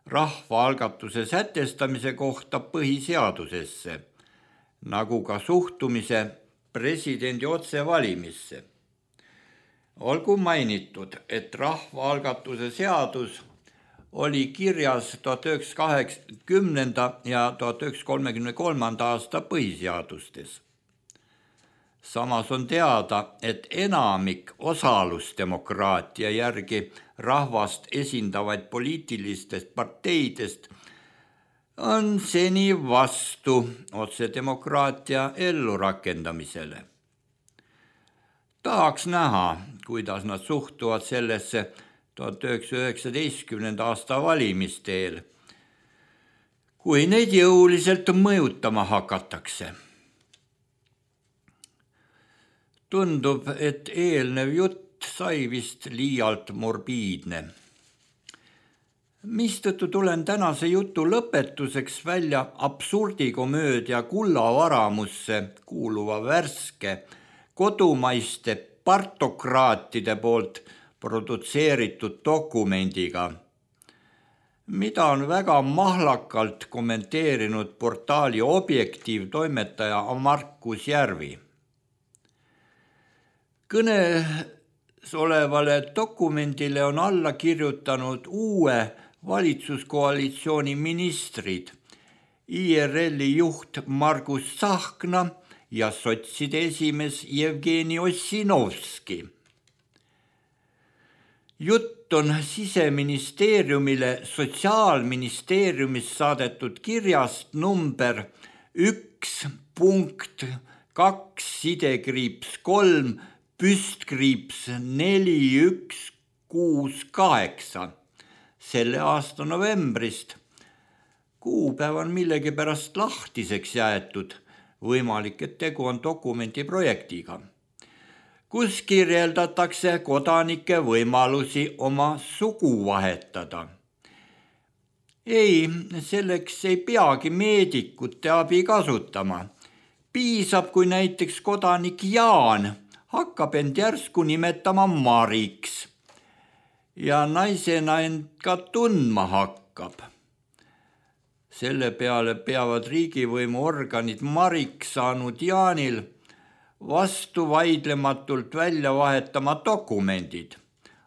rahvaalgatuse sätestamise kohta põhiseadusesse, nagu ka suhtumise presidendi otsevalimisse. Olgu mainitud, et rahvaalgatuse seadus oli kirjas 1980. ja 1933. aasta põhiseadustes. Samas on teada, et enamik osalusdemokraatia järgi rahvast esindavaid poliitilistest parteidest on seni vastu otsedemokraatia ellurakendamisele. Tahaks näha, kuidas nad suhtuvad sellesse 1919. aasta valimisteel, kui neid jõuliselt mõjutama hakatakse. Tundub, et eelnev jutt sai vist liialt morbiidne. Mistõttu tulen tänase jutu lõpetuseks välja absurdikomöödia Kullavaramusse kuuluva värske kodumaiste partokraatide poolt produtseeritud dokumendiga, mida on väga mahlakalt kommenteerinud portaali Objektiiv toimetaja Markus Järvi. Kõnes olevale dokumendile on alla kirjutanud uue valitsuskoalitsiooni ministrid, IRL-i juht Margus Tsahkna ja sotside esimees Jevgeni Ossinovski. Jutt on Siseministeeriumile Sotsiaalministeeriumist saadetud kirjast number 1.2-3 /4168 selle aasta novembrist. Kuupäev on millegipärast lahtiseks jäetud, võimalik, et tegu on dokumendi projektiga, kus kirjeldatakse kodanike võimalusi oma sugu vahetada. Ei, selleks ei peagi meedikute abi kasutama. Piisab, kui näiteks kodanik Jaan hakkab end järsku nimetama Mariks ja naisena end ka tundma hakkab. Selle peale peavad riigivõimu organid Mariks saanud Jaanil vastu vaidlematult välja vahetama dokumendid,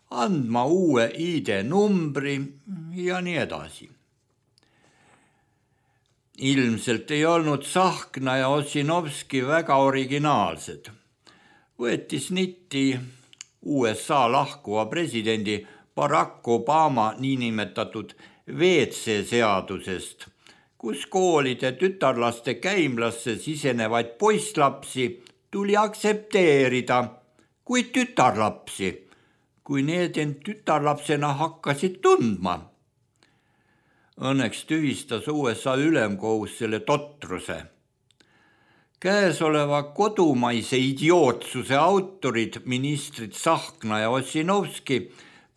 andma uue ID-numbri ja nii edasi. Ilmselt ei olnud Tsahkna ja Ossinovski väga originaalsed. Võeti snitti USA lahkuva presidendi Barack Obama niinimetatud WC-seadusest, kus koolide tütarlaste käimlasse sisenevaid poisslapsi tuli aktsepteerida kui tütarlapsi, kui need end tütarlapsena hakkasid tundma. Õnneks tühistas USA ülemkohus selle totruse. Käesoleva kodumaise idiootsuse autorid, ministrid Tsahkna ja Ossinovski,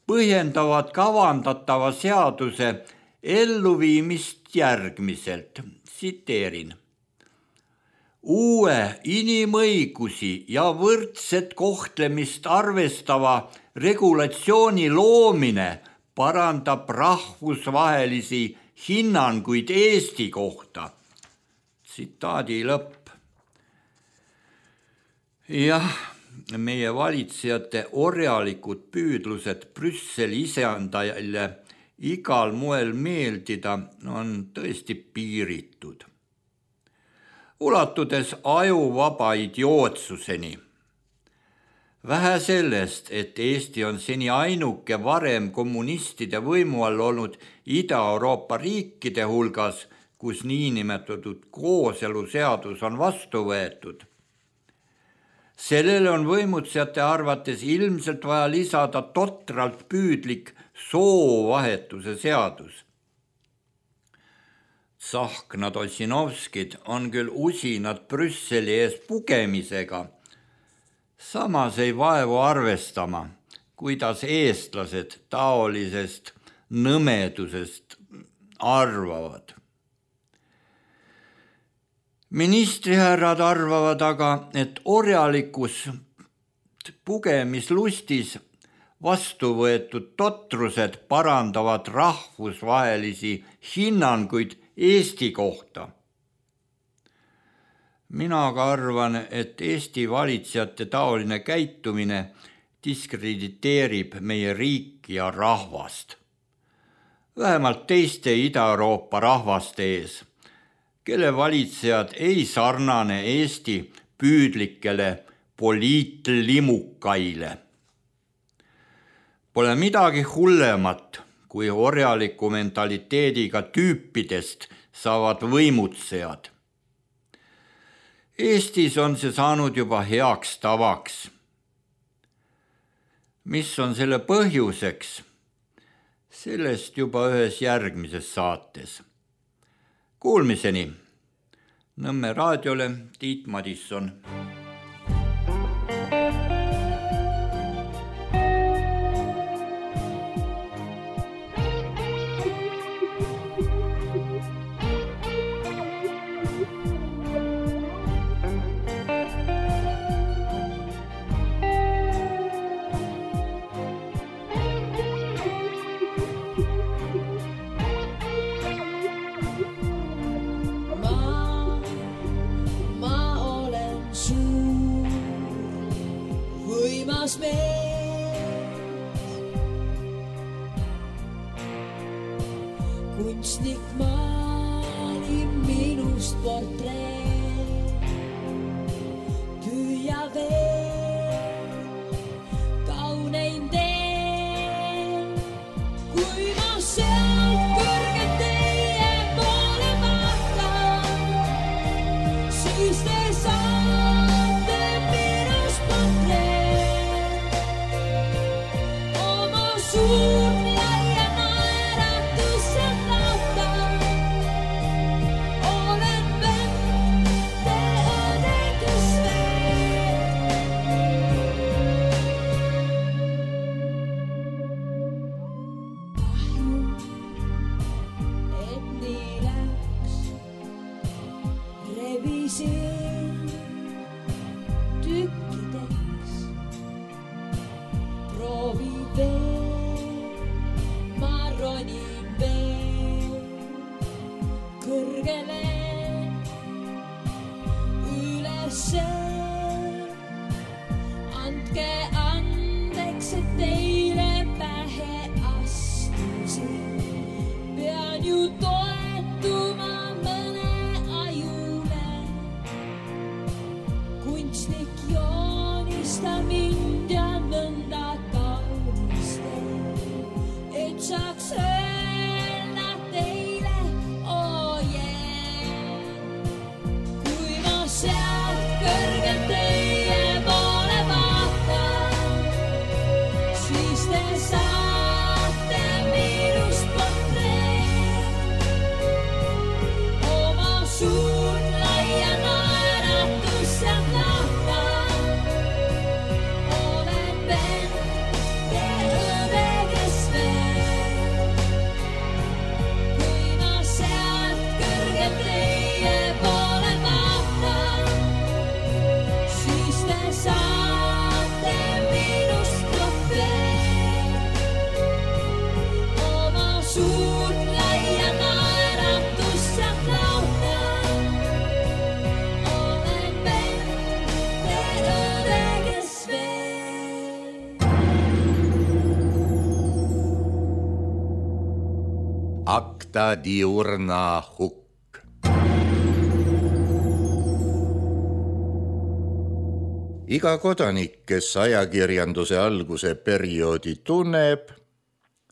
põhjendavad kavandatava seaduse elluviimist järgmiselt. Tsiteerin. Uue inimõigusi ja võrdset kohtlemist arvestava regulatsiooni loomine parandab rahvusvahelisi hinnanguid Eesti kohta. Tsitaadi lõpp. Jah, meie valitsejate orjalikud püüdlused Brüsseli isandajale igal moel meeldida on tõesti piiritud. Ulatudes ajuvaba idiootsuseni. Vähe sellest, et Eesti on seni ainuke varem kommunistide võimu all olnud Ida-Euroopa riikide hulgas, kus niinimetatud kooseluseadus on vastu võetud. Sellele on võimutsejate arvates ilmselt vaja lisada totralt püüdlik soovahetuse seadus. Tsahknad Ossinovskid on küll usinad Brüsseli ees pugemisega, samas ei vaevu arvestama, kuidas eestlased taolisest nõmedusest arvavad. Ministrihärrad arvavad aga, et orjalikus pugemislustis vastu võetud totrused parandavad rahvusvahelisi hinnanguid Eesti kohta. Mina aga arvan, et Eesti valitsejate taoline käitumine diskrediteerib meie riiki ja rahvast. Vähemalt teiste Ida-Euroopa rahvaste ees, kelle valitsejad ei sarnane Eesti püüdlikele poliitlimukaile. Pole midagi hullemat, kui orjaliku mentaliteediga tüüpidest saavad võimutsejad. Eestis on see saanud juba heaks tavaks. Mis on selle põhjuseks? Sellest juba ühes järgmises saates. Kuulmiseni. Nõmme raadiole Tiit Madisson. Kunstnik maali minust portreet, püüa veel kauneim teen, kui ma sealt kõrgelt teie poole vaatan, siis te saate minust portreet, oma suurt Acta diurna hukk. Iga kodanik, kes ajakirjanduse alguse perioodi tunneb,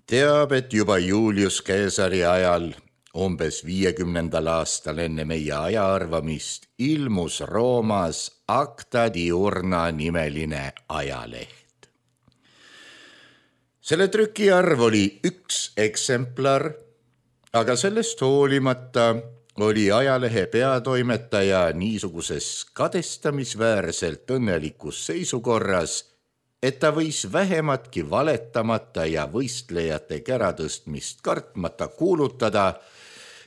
teab, et juba Julius Caesari ajal, umbes 50. aastal enne meie ajaarvamist, ilmus Roomas Acta diurna nimeline ajaleht. Selle trükiarv oli 1 eksemplar, aga sellest hoolimata oli ajalehe peatoimetaja niisuguses kadestamisväärselt õnnelikus seisukorras, et ta võis vähematki valetamata ja võistlejate käratõstmist kartmata kuulutada,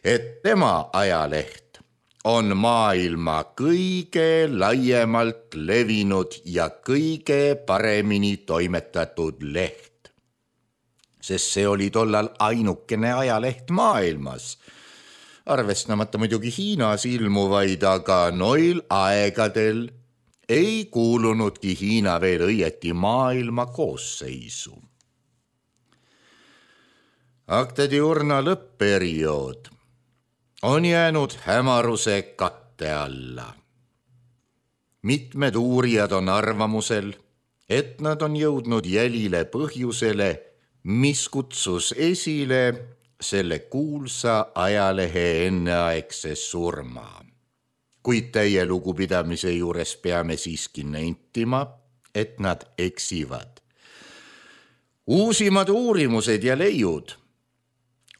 et tema ajaleht on maailma kõige laiemalt levinud ja kõige paremini toimetatud leht, sest see oli tollal ainukene ajaleht maailmas, arvestamata muidugi Hiinas ilmuvaid, aga noil aegadel ei kuulunudki Hiina veel õieti maailma koosseisu. Acta diurna lõppperiood on jäänud hämaruse katte alla. Mitmed uurijad on arvamusel, et nad on jõudnud jälile põhjusele, mis kutsus esile selle kuulsa ajalehe enneaegse surma. Kuid täie lugupidamise juures peame siiski nentima, et nad eksivad. Uusimad uurimused ja leiud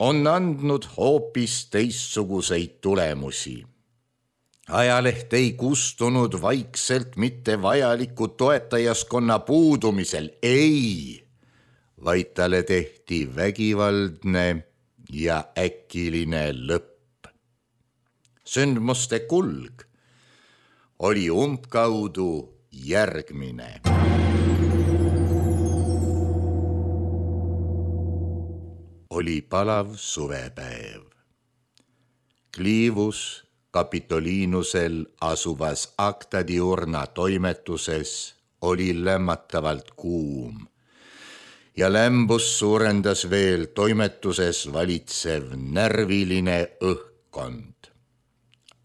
on andnud hoopis teistsuguseid tulemusi. Ajaleht ei kustunud vaikselt mitte vajaliku toetajaskonna puudumisel, ei, vaid talle tehti vägivaldne ja äkiline lõpp. Sündmuste kulg oli umbkaudu järgmine. Oli palav suvepäev. Clivus Capitolinusel asuvas Acta diurna toimetuses oli lämmatavalt kuum ja lämbus suurendas veel toimetuses valitsev närviline õhkkond.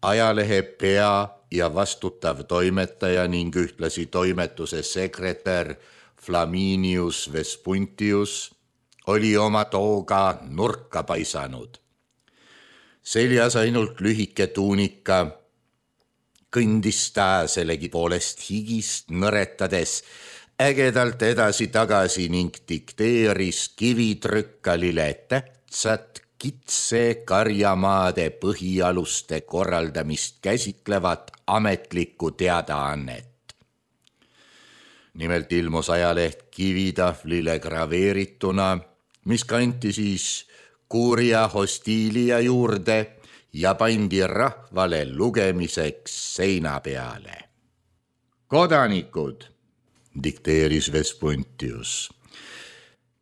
Ajalehe pea ja vastutav toimetaja ning ühtlasi toimetuse sekretär Flaminius Vespuntius oli oma tooga nurka paisanud. Seljas ainult lühike tuunika, kõndis ta sellegi poolest higist nõretades ägedalt edasi-tagasi ning dikteeris kivitrükkalile tähtsat kitse karjamaade põhialuste korraldamist käsitlevat ametlikku teadaannet. Nimelt ilmus ajaleht kivitahvlile graveerituna, mis kanti siis Curia Hostilia juurde ja pandi rahvale lugemiseks seina peale. Kodanikud, dikteeris Vespuntius,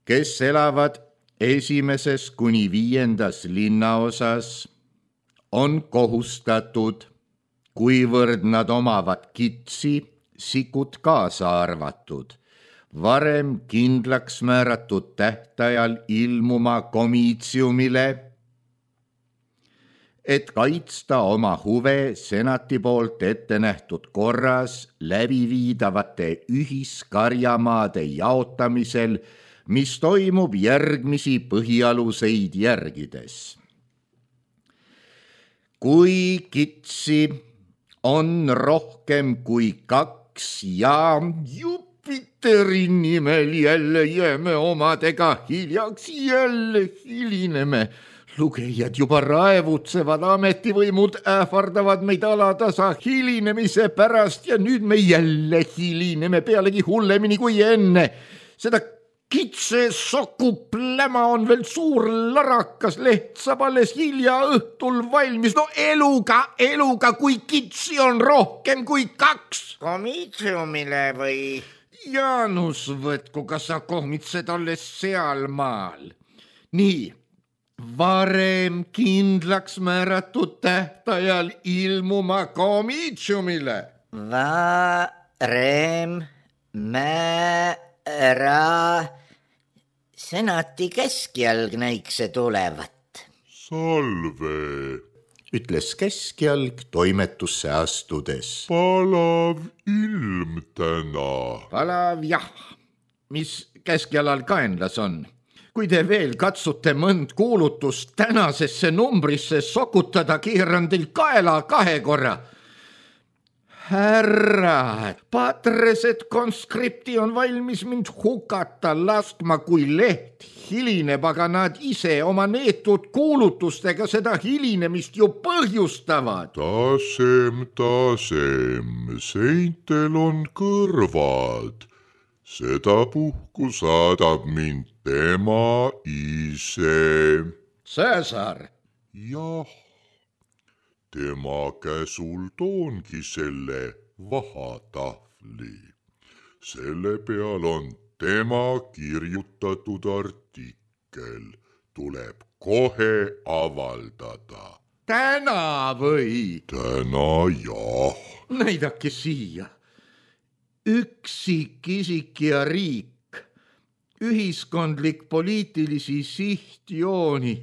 kes elavad 1. kuni 5. linnaosas, on kohustatud, kuivõrd nad omavad kitsi, sikut kaasa arvatud, varem kindlaks määratud tähtajal ilmuma komiitsiumile, et kaitsta oma huve senati poolt ette nähtud korras läbiviidavate ühiskarjamaade jaotamisel, mis toimub järgmisi põhialuseid järgides. Kui kitsi on rohkem kui 2 ja Jupiteri nimel jälle jääme omadega hiljaks, jälle hilineme. Lugejad juba raevutsevad, ametivõimud ähvardavad meid alatasa hilinemise pärast ja nüüd me jälle hilineme, pealegi hullemini kui enne. Seda kitse sokupläma on veel suur larakas, leht saab alles hilja õhtul valmis. No eluga, kui kitsi on rohkem kui 2. Komiitsiumile või? Jaanus võtku, kas sa kohmitsed alles sealmaal. Nii, varem kindlaks määratud tähtajal ilmuma komiitsiumile. Varem senati keskjalg näiks see tulevat. Salve, ütles keskjalg toimetusse astudes. palav ilm täna. Palav jah, mis keskjalal kaenlas on. Kui te veel katsute mõnd kuulutust tänasesse numbrisse sokutada, keeran teil kaela 2 korra. Härra, patresed konskripti on valmis mind hukata laskma, kui leht hilineb, aga nad ise oma neetud kuulutustega seda hilinemist ju põhjustavad. Tasem, seintel on kõrvad. sedapuhku saadab mind tema ise. Cäsar. Jah, tema käsul toongi selle vahatahvli. Selle peal on tema kirjutatud artikkel. Tuleb kohe avaldada. Täna või? Täna jah. Näidake siia. Üksikisik ja riik, ühiskondlik poliitilisi sihtjooni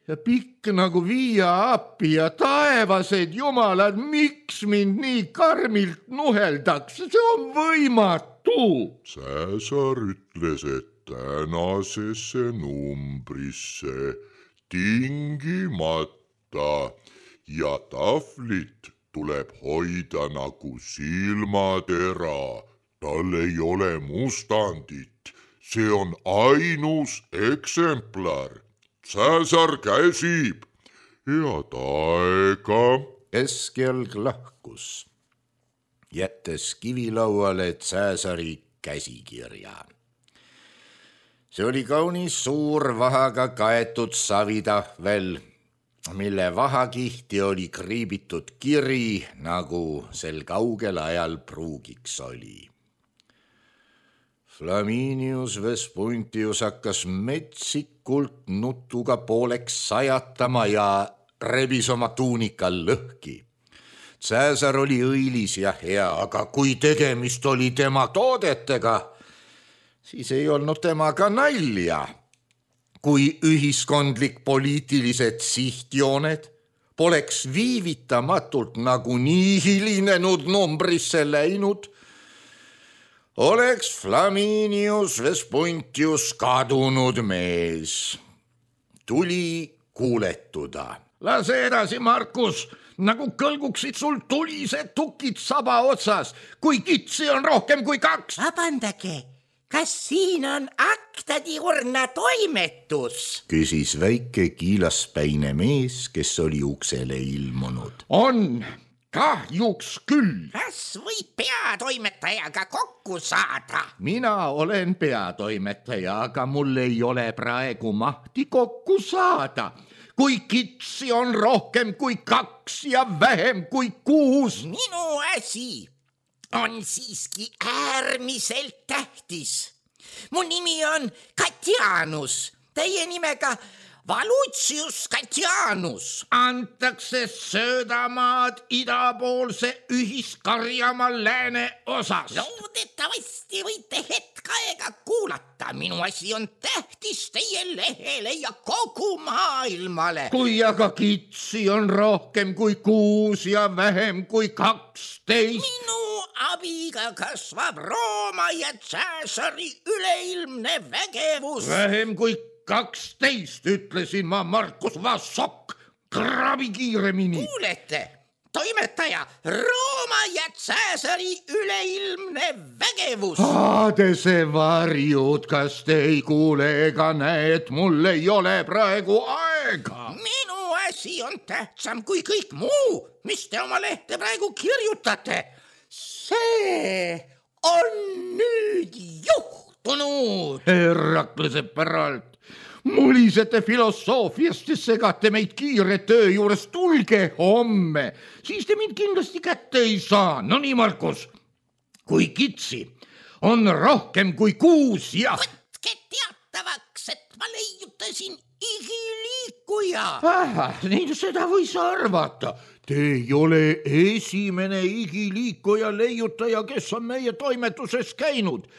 ja pikk nagu Via Appi ja taevased jumalad, miks mind nii karmilt nuheldakse, see on võimatu. Cäsar ütles, et tänasesse numbrisse tingimata ja tahvlit tuleb hoida nagu silmatera. Tal ei ole mustandit, see on ainus eksemplar. Cäsar käsib. Head aega. Keskjalg lahkus, jättes kivilauale Cäsari käsikirja. See oli kaunis suur vahaga kaetud savitahvel, mille vahakihti oli kriibitud kiri, nagu sel kaugel ajal pruugiks oli. Flaminius Vespuntius hakkas metsikult nutuga pooleks sajatama ja rebis oma tuunika lõhki. Cäsar oli õilis ja hea, aga kui tegemist oli tema toodetega, siis ei olnud temaga nalja. Kui ühiskondlik poliitilised sihtjooned poleks viivitamatult nagunii hilinenud numbrisse läinud, oleks Flaminius Vespuntius kadunud mees. Tuli kuuletuda. Lase edasi, Markus, nagu kõlguksid sul tulised tukid saba otsas, kui kitsi on rohkem kui 2. Vabandage, kas siin on aktadiurna toimetus? Küsis väike kiilaspäine mees, kes oli uksele ilmunud. On, kahjuks küll. Kas võib peatoimetajaga kokku saada? Mina olen peatoimetaja, aga mul ei ole praegu mahti kokku saada. Kui kitsi on rohkem kui 2 ja vähem kui 6. Minu asi on siiski äärmiselt tähtis. Mu nimi on Katianus, teie nimega Valutsius Katianus. Antakse söödamaad idapoolse ühiskarjamaa lääne osas. Loodetavasti võite hetk aega kuulata. Minu asi on tähtis teie lehele ja kogu maailmale. Kui aga kitsi on rohkem kui 6 ja vähem kui 12. Minu abiga kasvab Rooma ja Cäsari üleilmne vägevus. Vähem kui 12, ütlesin ma, Markus Vassok. Krabi kiiremini. Kuulete, toimetaja, Rooma ja Cäsari üleilmne vägevus. Aadese varjud, kas te ei kuule ega näe, et mul ei ole praegu aega? Minu asi on tähtsam kui kõik muu, mis te oma lehte praegu kirjutate. See on nüüd juhtunud. Heraklase päralt. Mulisete filosoofiast ja segate meid kiire töö juures. Tulge homme, siis te mind kindlasti kätte ei saa. No nii, Markus, kui kitsi on rohkem kui 6 ja... Võtke teatavaks, et ma leiutasin igiliikuja. Nii seda võis arvata. Te ei ole esimene igiliikuja leiutaja, kes on meie toimetuses käinud.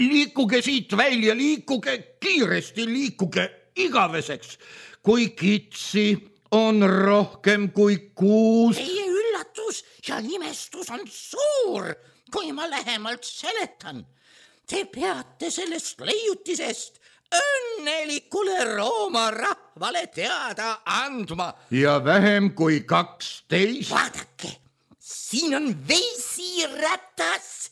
Liikuge siit välja, liikuge kiiresti, liikuge igaveseks. Kui kitsi on rohkem kui 6... Teie üllatus ja imestus on suur, kui ma lähemalt seletan. Te peate sellest leiutisest õnnelikule Rooma rahvale teada andma. Ja vähem kui 12... Vaadake, siin on vesiratas.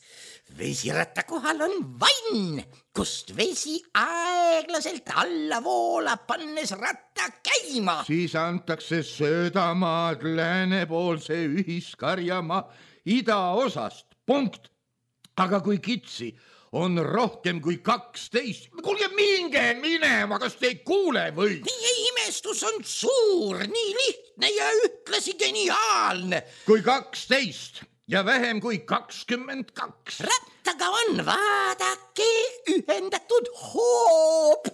Vesiratta kohal on vann, kust vesi aeglaselt alla voolab, pannes ratta käima. Siis antakse söödamaad läänepoolse ühiskarjamaa idaosast. Punkt. Aga kui kitsi on rohkem kui 12. Kuulge, minge minema, kas te ei kuule või? Teie imestus on suur, nii lihtne ja ühtlasi geniaalne. Kui 12 ja vähem kui 22. Rattaga on, vaadake, ühendatud hoob,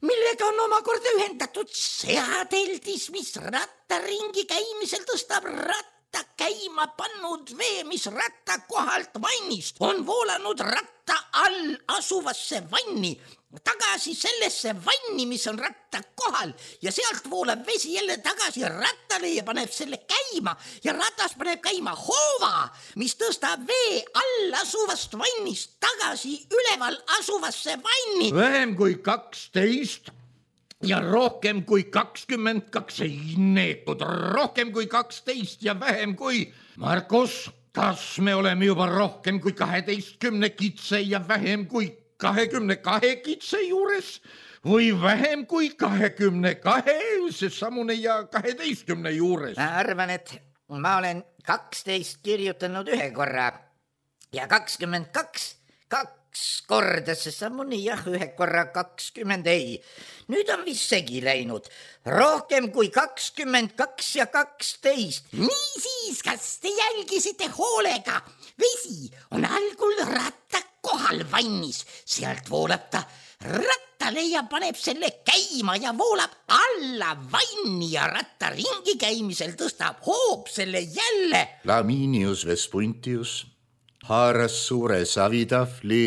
millega on omakorda ühendatud seadeldis, mis rattaringi käimisel tõstab ratta käima pannud vee, mis ratta kohalt vannist on voolanud ratta all asuvasse vanni, tagasi sellesse vanni, mis on ratta kohal ja sealt voolab vesi jälle tagasi rattale ja paneb selle käima ja ratas paneb käima hoova, mis tõstab vee all asuvast vannist tagasi üleval asuvasse vanni. Vähem kui 12 ja rohkem kui 22 ei neetud, rohkem kui 12 ja vähem kui... Markus, kas me oleme juba rohkem kui 12 kitse ja vähem kui 22 kitse juures või vähem kui 22 seesamune ja 12 juures? Ma arvan, et ma olen 12 kirjutanud ühe korra ja 22 korda seesamune jah, ühe korra 20 ei. Nüüd on vist segi läinud. Rohkem kui 22 ja 12. Niisiis, kas te jälgisite hoolega? Vesi on algul ratta kohal vannis. Sealt voolab ta rattale ja paneb selle käima ja voolab alla vanni ja ratta ringi käimisel tõstab hoob selle jälle. Flaminius Vespuntius haaras suure savitahvli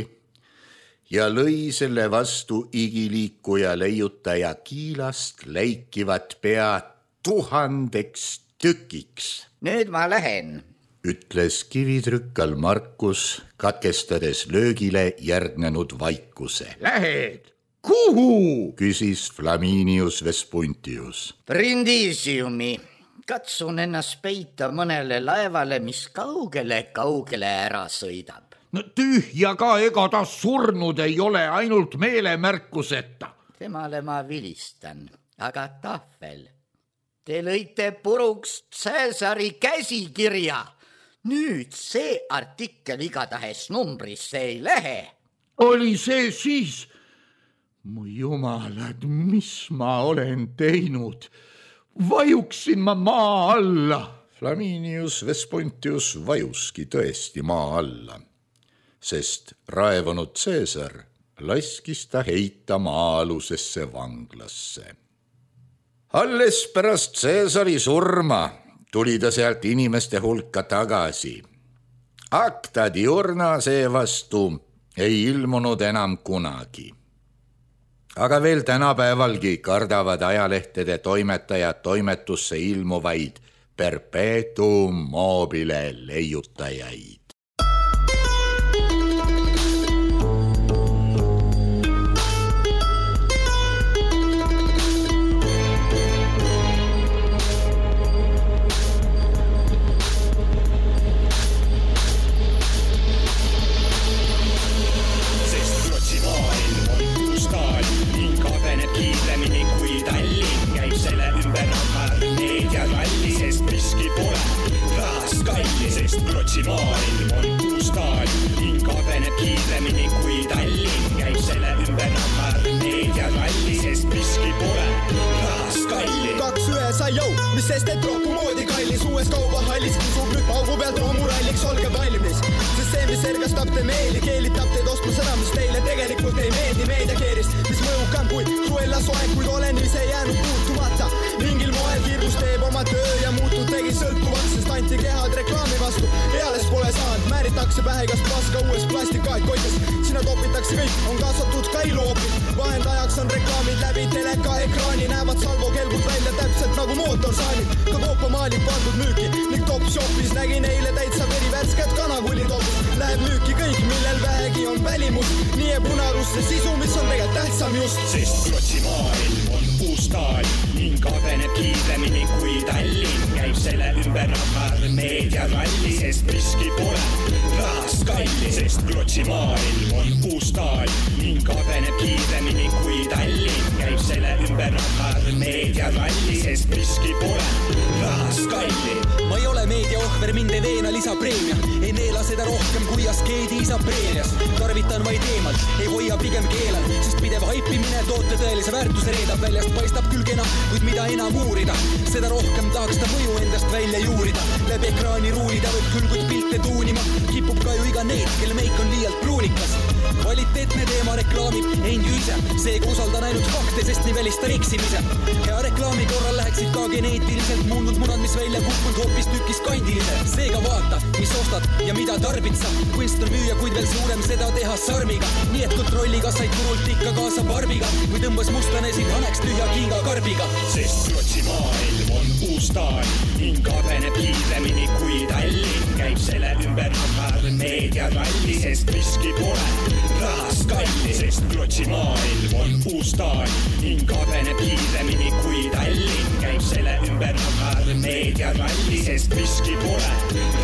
ja lõi selle vastu igiliikuja leiutaja kiilast läikivat pea 1000 tükiks. Nüüd ma lähen, ütles kivitrükkal Markus, katkestades löögile järgnenud vaikuse. Lähed? Kuhu? Küsis Flaminius Vespuntius. Brindisiumi. Katsun ennast peita mõnele laevale, mis kaugele ära sõidab. No tühja ka, ega ta surnud ei ole, ainult meelemärkuseta. Temale ma vilistan, aga tahvel. Te lõite puruks Cäsari käsikirja. Nüüd see artikkel igatahes numbrisse ei lähe. Oli see siis? Mu jumalad, mis ma olen teinud? Vajuksin ma maa alla. Flaminius Vespuntius vajuski tõesti maa alla, sest raevunud Cäsar laskis ta heita maa-alusesse vanglasse. Alles pärast Cäsari surma tuli ta sealt inimeste hulka tagasi. Acta diurna seevastu ei ilmunud enam kunagi. Aga veel tänapäevalgi kardavad ajalehtede toimetajad toimetusse ilmuvaid perpetuum mobile leiutajaid. Maailm on puustaal, ning kabeneb kiiremini kui Tallinn, käib selle ümber nammar meediaralli, sest miski pole rahas kalli. 2-1 sai jõu, mis sest et rohku moodi kallis, uues kaubahallis kisub nüüd paugu pealt roomuralliks, olge valmis, sest see, mis ergastab te meeli, keelitab teid ostma seda, mis teile tegelikult ei meeldi meediakeerist, mis mõjukam kui Cruella soeng, kuid olen ise jäänud puutumata. Mingil moel kiirus teeb oma töö ja muutud tegi sõltuvaks, sest anti kehad reklaami vastu. Eales pole saanud, määritakse pähe igast paska uues plastikaid koides. Sinna topitakse kõik, on kaasatud ka iluopid. Vahendajaks on reklaamid läbi teleka ekraani, näevad salvokelgud välja täpselt nagu mootorsaanid. Ka koopamaali pandud müüki ning Topshopis nägin eile täitsa verivärsket kanakulitopis. Läheb müüki kõik, millel vähegi on välimus. Nii jääb unarusse sisu, mis on tegelikult tähtsam just. Sest Klotsi maailm on puustaal ning kabeneb kiiremini kui Tallinn, käib selle ümber nammar meediaralli, sest miski pole rahas kalli, sest Klotsi maailm on puustaal ning ning areneb kiiremini kui Tallinn. Käib selle ümber rahar meediaralli, sest miski pole rahast kallim. Ma ei ole meediaohver, mind ei veena lisapreemia. Ei neela seda rohkem kui askeedi isa preemias. Tarvitan vaid eemalt, ei hoia pigem keelan, sest pidev haipimine toote tõelise väärtuse reedab. Väljast paistab küll kena, kuid mida enam uurida, seda rohkem tahaks ta mõju endast välja juurida. Läbi ekraani ruulida võib küll, kuid pilte tuunima kipub ka ju iga neid, kelle meik on liialt pruunikas. Kvaliteetne teema reklaamib end ju ise, seega usaldan ainult fakte, sest nii välistan eksimise. Hea reklaami korral läheksid ka geneetiliselt muundud munad, mis välja kukkunud hoopis tükis kandilise. Seega vaata, mis ostad ja mida tarbid sa. Kunst on müüa, kuid veel suurem seda teha sarmiga. Nii et kontrolli, kas said turult ikka kaasa barbiga või tõmbas mustanesid haneks tühja kinga karbiga. Sest Rootsi maailm on uustaan ning areneb kiiremini kui Tallinn. Käib selle ümber rahar meediaralli, sest miski pole rahast kalli. Sest Rootsi maailm on uustaan ning areneb kiiremini kui Tallinn. Käib selle ümber rahar meediaralli, sest miski pole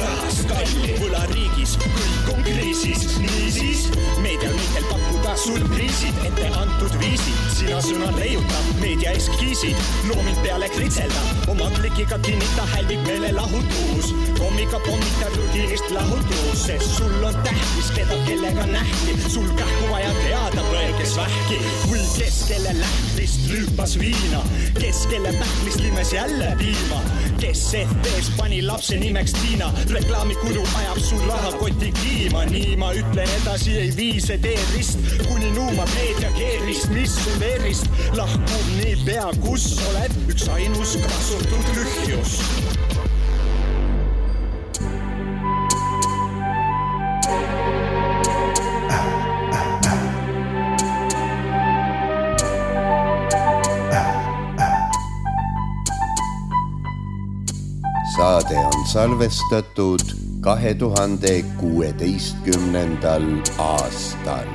rahast kalli. Võlariigis kõik on kriisis, niisiis meedial meitel pakkuda surpriisid, ette antud viisid. Sina sõna leiuta, meedia eskiisid, loomind peale kritselda, oma klikiga kinnita hälvib meele lahutus. Kommika pommita rutiinist lahutus, sest sul on tähtis, keda kellega nähti. Sul kähku vaja teada võel, kes vähki või kes kelle lähtrist rüüpas viina, kes kelle pähklist limes jälle piima, kes FB-s pani lapse nimeks Tiina. Reklaamikulu ajab sul rahakoti kiima, nii ma ütlen edasi ei vii see teerist, kuni nuumab meedia keerist, mis sul erist lahkub nii pea, kus oled üks ainus kasutud lühjus. Saade on salvestatud 2016. aastal.